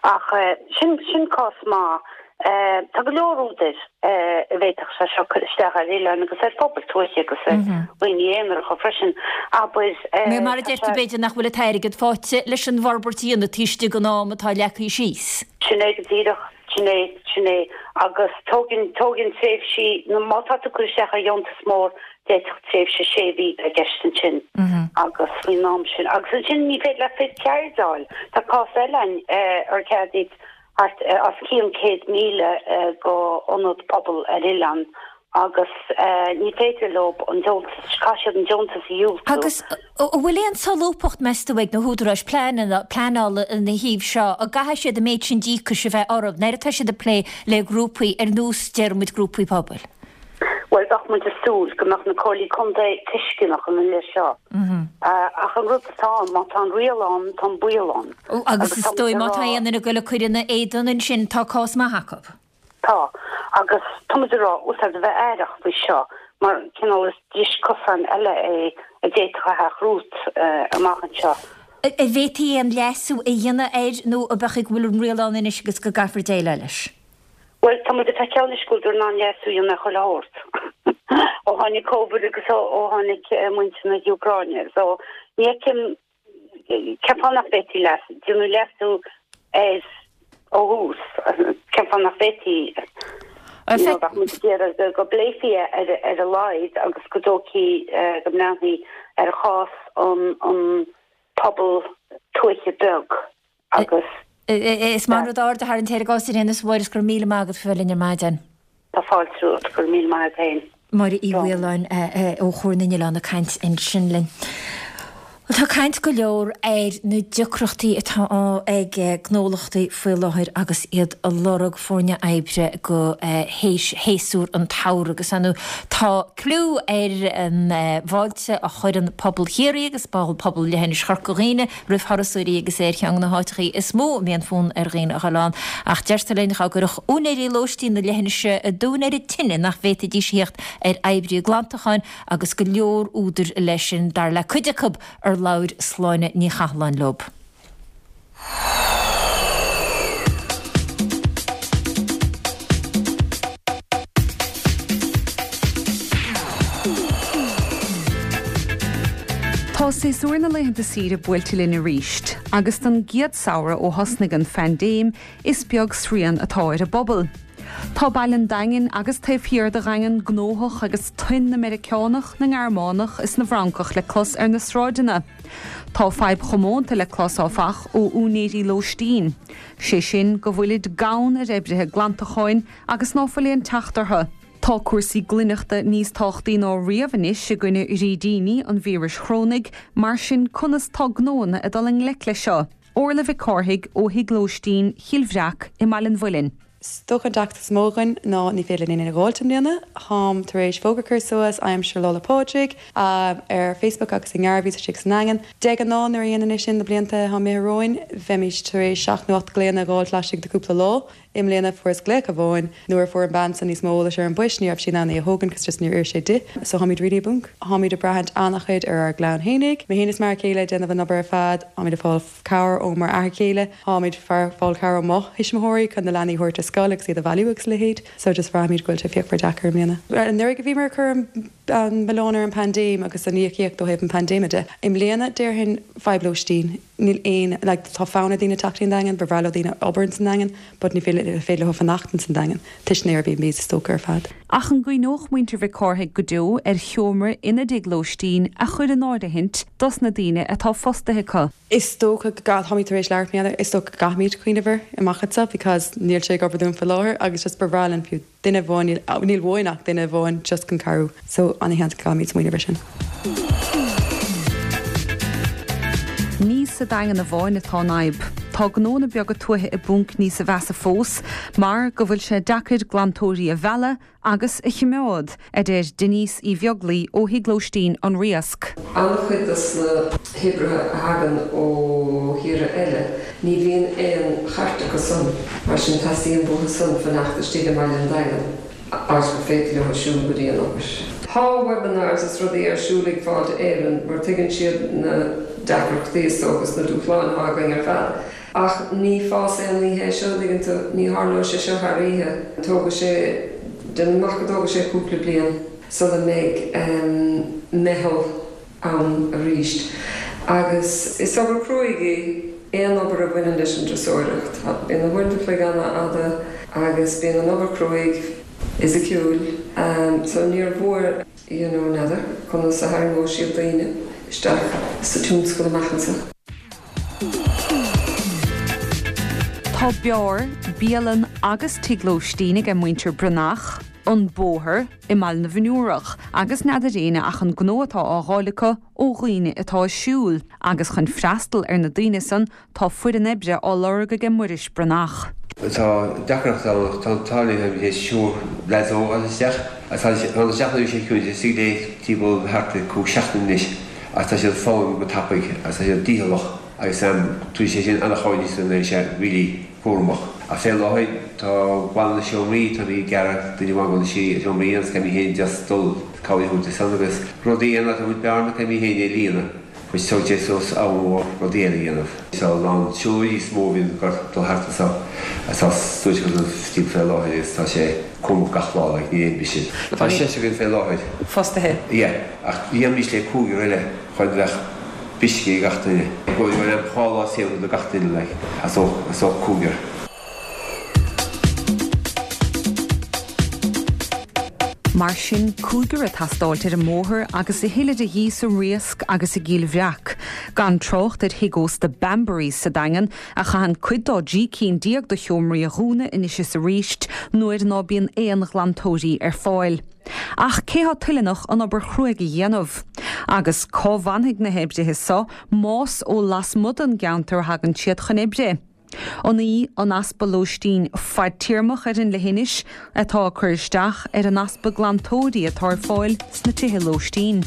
Ach sin sin cás maith. Tá go leor údair a bhféadfadh sé seo cur isteach ar oileáin agus ar phobail tuaithe agus ar dhaoine aonaracha freisin. Abair Mar a deir tú b'fhéidir nach bhfuil an t-airgead faighte leis an bhforbairt a dhéanamh taobh istigh den am atá leagtha síos. Sin é go díreach. Sin é, sin é. Agus tógann, tógann tréimhsí, nó má tá tú ag cur isteach ar dheontas mór, d'fhéadfadh tréimhse sé mhí bheith i gceist ansin agus faoin am sin. Agus ansin ní féidir leat fir ceird a fháil. Tá cás eile ann ar ceadaíodh thart os cionn 100,000 go ionad pobail ar oileán agus ní féidir leo an deontas, caithfidh siad an deontas a dhiúltú. Agus an bhfuil aon solúbthacht, meas tú, ag na húdaráis pleanála ina thaobh seo, an gcaithfidh siad an méid sin díocais a bheith orthu nuair atá siad ag plé le grúpaí ar nós, déarfaidh muid, grúpaí pobail? Bhuel, bheadh muid ag súil go mbeadh na comhairlí contae tuisceanach ina leith seo. Ach an rud atá ann, má tá an riail ann, tá an baol ann. Agus is dóigh má tá aon duine ag goil ag cur ina éadan ansin, tá cás maith acu. Tá, agus tá muid ag rá, úsáid a bheith aireach faoi seo mar cineál is dris cosáin eile é a d'fhéadfadh a theacht romhat amach anseo. An bhféadfaí aon leasú a dhéanamh air nó ab é go bhfuil an riail ann anois agus go gcaithfear déileáil leis? Bhuel, tá muid ag feiceáil anois go bhfuil in ann leasú a dhéanamh ar chuile shórt ó tháinig Covid agus ó tháinig muintir na hÚcráine. So, ní fheicim Cén fáth nach bhféadfaí leas, déanamh leasú air ó thús? Cén fáth nach bhféadfaí, you know, bheadh muid ag iarraidh go bpléifí é ar ar a laghad agus go dtógfaí, go mbreathnófaí ar chás an an pobal tuaithe beag agus. Is maith an rud aird a tharraingt air i gcás ar aon nós a Mháire is go raibh míle maith agat faoi bheith linn ar maidin. Tá fáilte romhat, go raibh míle maith agat féin. Máire Uí Mhaoláin ó Chomhar na nOileán ag caint ansin linn. Bhuel tá caint go leor ar na deacrachtaí atá ag gnólachtaí faoi láthair agus iad ag lorg foirne oibre go théis shéasúr an tsamhraidh agus ar ndóigh tá clú ar an bhfáilte a chuireann pobal Chiarraí agus pobal Leithinis Chorca Dhuibhne roimh thurasóirí agus é ar cheann de na háiteachaí is mó a mbíonn fonn ar dhaoine a dhul ann. Ach deirtear linn dhá gcuirfeadh úinéirí lóistín na leithinise a dtóin ar an tine nach bhféadfaidís a theacht ar oibrithe glantacháin agus go leor údar leis sin, dar le cuid acu ar labhair Sláine Ní Chathalláin leo. Tá séasúr na laethanta saoire buailte linn arís, agus don gcéad samhradh ó thosnaigh an phaindéim, is beag srian atá ar an bpobal. Tá baile an Daingin agus taobh thiar de Dhaingean gnóthach agus tuin na Meiriceánach, na nGearmánach is na bhFrancach le clos ar na sráideanna. Tá fadhb chomónta le clos, áfach, ó úinéirí lóistín, sé sin go bhfuilid gann ar oibrithe glantacháin agus ná fuil aon teacht orthu. Tá cúrsaí glaineachta níos tábhachtaí ná riamh anois i gcoinne fhrídíní an víris chrónaigh, mar sin conas tá gnóanna ag dul i ngleic leis seo? Orla Mhic Cárthaigh ó Thigh Lóistín Chill Bhreac i mBaile an Mhuilinn. Is dócha an deacracht is mó againn ná ní féidir linn éinne a dh'fháilt i mbliana. Táim tar éis fógra cur suas aimsir Lá 'le Pádraig ar Facebook agus i nGarveys istigh sa nDaingean. De ghnáth nuair a dhéanainn é sin na blianta atá imithe romhainn bheimís tar éis seacht nó ocht glaonna a dh'fháilt laistigh de cúpla lá. I mbliana fuaireas glaoch amháin. Nuair a fuair an bean san níos mó eolais ar an bpoist ní raibh sí in ann é a thógaint cos just níor oir sé di. So tháimid really i bponc. Tháimid ag braithint an-chuid ar ár gclann fhéinig. Mé fhéin is m'fhear céile ag déanamh an obair ar fad. Tháimid ag fáil cabhair ó mar athair céile. Tháimid fáil cabhair ó mo thuismitheoirí chun na leanaí a thabhairt ar scoil agus iad a bhailiú agus a leithéid. So just bhraithimid go bhfuil sé fíochmhar deacair i mbliana. Anuraidh bhíomar ag cur an milleán ar an paindéim agus an íocaíocht ó thaobh an paindéime de. I mbliana déarfainn fadhb lóistín. Níl aon, like, tá fonn ar daoine teacht 'on Daingean, ba bhreá leo daoine obair ins an Daingean, but ní féidir leo fanacht ins an Daingean, toisc na Airbnbs is dócha ar fad. Ach an gcuimhneodh muintir Mhic Cárthaigh go deo ar sheomra ina dtigh lóistín a chur in áirithint dos na daoine atá fostaithe acu? Is dócha go gcaith, táimid tar éis labhairt mar gheall air, is dócha go gcaithfimid cuimhneamh air amach anseo because níl sé ag obair dúinn faoi láthair agus just ba bhreá linn fiú duine amháin, níl uainn ach duine amháin just chun cabhrú so ana-sheans go gcaithfimid smaoineamh ar sin. Ní sa Daingean amháin atá an fhadhb. Tá gnóanna beaga tuaithe i bponc níosa mheasa fós mar go bhfuil sé deacair glantóirí a mhealladh agus a chimeád, a deir Denise Uí Bheaglaoi ó Thigh Lóistín An Riasc. An-chuid dos na hoibrithe a thagann ó thíortha eile. Ní bhíonn aon chairt acu san, mar sin teastaíonn uathu san fanacht istigh i mbaile an Daingin, áit gur féidir leo siúl go dtí an obair. Tá webinars is rudaí ar siúl ag Fáilte Éireann mar tuigeann siad na deacrachtaí is dócha is na dúshláin atá againn ar fad. Ach ní fás aon oíche é seo, an dtuigeann tú, ní tharlóidh sé seo thar oíche. Tógfaidh sé, déanaim amach go dtógfaidh sé cúpla bliain sula mbeidh meitheal ann arís. Agus is obair cruaidh í aon obair a bhaineann leis an dturasóireacht. Bíonn na huaireanta an chloig an-fhada agus bíonn an obair cruaidh fhisiciúil so níor mhór you know n'fheadar conas a tharraingeoidh siad daoine isteach sa tionscal amach anseo. Tá beár, bialann agus tigh lóistín aige muintir Breathnach, An Bóthar, i mBaile na bhFionnúrach agus n'fheadar éinne ach an gnó atá á dh'fháil acu ó dhaoine atá ag siúl agus chun freastal ar na daoine san tá foireann oibre á lorg aige Muiris Breathnach. Tá deacracht ann ach tá an t-ádh linn táimid théis triúr leaids óg a fháil isteach agus tá tá na seachtain sé ciúin istigh lé timpeall thart ar chúig seachtaine anois agus tá siad ag foghlaim go tapaidh agus tá siad dícheallach agus tugann sé sin an-chabhair níos mó ná sé really cúramach. Ach fé láthair tá baill na seomraí, tá mé ag gearradh duine amháin go na seomraí agus caithfidh mé féin just dul cabhair a thabhairt ansan agus rudaí eile tá muid bearna caithfidh mé féin é a líonadh which tógann sé suas am mór rudaí eile a dhéanamh. Tá a lán siúlóirí is mó a bhíonn ag dul thart anso atá suaite chun an timpeall fé láthair agus tá sé cúramach gach lá like níl aon bhriseadh. Tá seisear againn fé láthair. Fostaithe. Yeah ach dhéanfaimis le cúigear eile chun bheadh Briseadh ag gach duine. Go raibh dhá lá saor do gach duine like as ucht cúigear. Mar sin, cúigear ag teastáilt ar an mbóthar agus a thuilleadh de dhíth sa Riasc agus i gCill Bhreac. Gan trácht ar thigh ósta Banbury's sa Daingean, a chaitheann cuid dá dtrí cinn déag de sheomraí a dhúnadh anois is arís nuair ná bíonn aon ghlantóirí ar fáil. Ach cé thá toileanach an obair chruaidh a dhéanamh? Agus cá bhfanfaidh na hoibrithe so más ó lasmuigh den gceantar a thagann siad chun oibre? An í an easpa lóistín fadtéarmach ar an leithinis atá ag cur isteach ar an easpa glantóirí atá ar fáil sna tithe lóistín?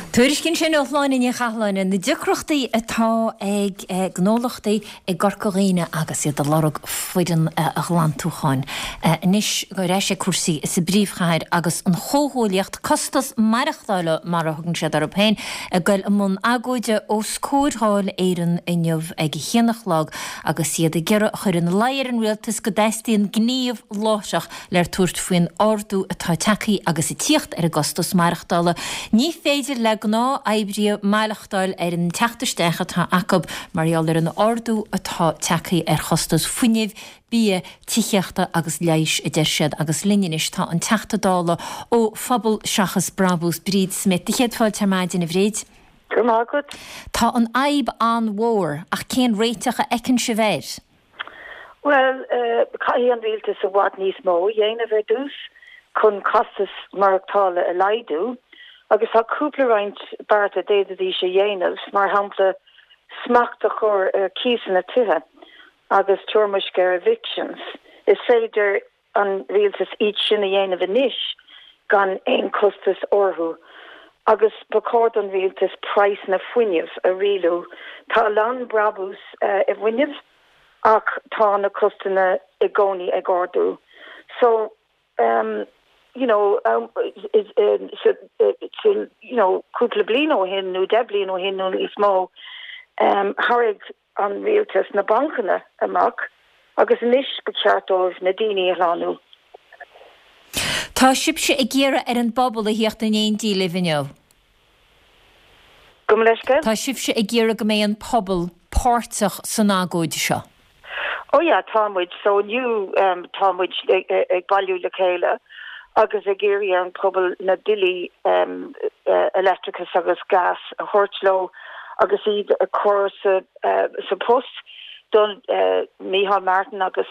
Tuairisc ansin ó Shláine Ní Chathalláin ar na deacrachtaí atá ag gnólachtaí i gCorca Dhuibhne agus iad ag lorg foireann ghlantúcháin. Anois ar ais ag cúrsaí sa bpríomhchathair agus an chomhghuaillíocht costas maireachtála, mar a thugann siad orthu féin, ag goil i mbun agóide os comhair Dháil Éireann inniu ag a haon a chlog agus iad ag iarraidh a chur ina luí ar an rialtas go dteastaíonn gníomh láithreach le tabhairt faoin ardú atá tagtha agus ag tíocht ar an gcostas maireachtála. Ní féidir le gnáth-oibrithe maireachtáil ar an teacht isteach atá acu mar gheall ar an ardú atá tagtha ar chostas fuinnimh, bia, tithíochta agus leighis, a deir siad. Agus linn anois tá an Teachta Dála ó Phobal Seachas Brabús, Bríd Smith. Do chéad fáilte ar maidin, a Bhríd. Go raibh maith agat. Tá an fhadhb an-mhór, ach cén réiteach a fheiceann sibh air? Bhuel, caithfidh an rialtas i bhfad níos mó a dhéanamh ar dtús chun costas maireachtála a laghdú agus tá cúpla roinnt bearta a d'fhéadfaidís a dhéanamh, mar shampla smacht a chur ar cíosanna tithe agus toirmisc ar evictions. Is féidir an rialtas iad sin a dhéanamh anois gan aon chostas orthu agus ba chóir don rialtas praghsanna fuinnimh a rialú. Tá a lán brabús i bhfuinneamh ach tá na costanna i gcónaí ag ardú. So um you know so you know cúpla bliain ó shin nó 10 bliain ó shin nó níos mó um tharraing an rialtas na bancanna amach agus anois ba cheart dóibh na daoine a shlánú. Tá sibhse ag iarraidh ar an bpobal a thíocht in éindí libh inniu. Gabh mo leithscéal? Tá sibhse ag iarraidh go mbeidh an pobal páirteach san agóid seo. Oh yeah, tá muid. So inniu tá muid ag bailiú le chéile agus ag iarraidh ar an pobal na billí leictreachais agus gas a thabhairt leo agus iad a chur sa sa post don Micheál Martin agus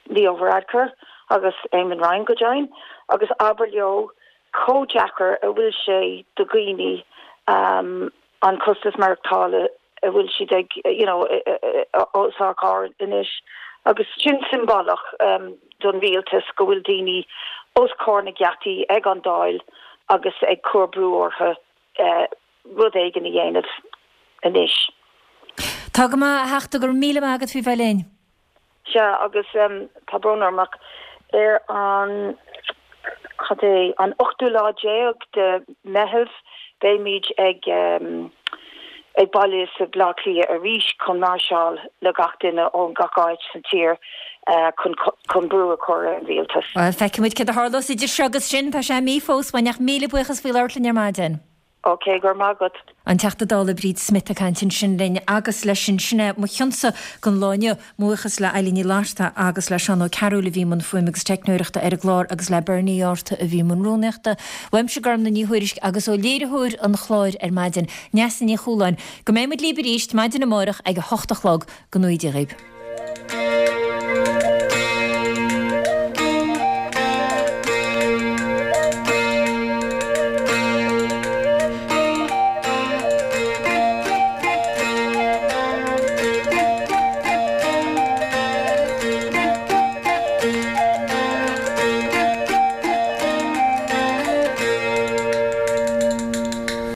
Leo Varadkar agus Eamon Ryan go deimhin agus abair leo chomh deacair a bhfuil sé do dhaoine an costas maireachtála a bhfuil siad ag you know os ár gcomhair anois agus sin siombalach don rialtas go bhfuil daoine os comhair na geataí ag an Dáil agus ag cur brú orthu. rud éigin a dhéanamh anois. Tá go maith, a Theachta, go raibh míle maith agat faoi bheith linn. Sea, agus tá brón orm ach ar an, cad é, an ochtú lá déag de Meitheamh beimid ag ag bailiú sa Bleá Cliath arís chun máirseáil le gach duine ón gach áit sa tír chun chun brú a chur ar an rialtas. Bhuel, feicfidh muid céard a tharlós idir seo agus sin, tá sé mí fós uainn ach míle buíochas faoi labhairt linn ar maidin. Ok, go raibh maith agat. An Teachta Dála Bríd Smith ag caint ansin linn agus leis sin, sin é mo chionsa don lá inniu. Mo bhuíochas le Eilín Ní Fhlatharta agus le Seán Ó Cearúil a bhí i mbun fuaime agus teicneoireachta ar an gclár agus le Bernie Arthur a bhí i mbun rúnaíochta. Uaimse Gormlaith Ní Thuairisg agus ó léiritheoir an chláir ar maidin, Neasa Ní Chualáin. Go mbeidh muid libh arís maidin amárach ag a hocht a chlog. Go ngnóthaí Dia dhaoibh.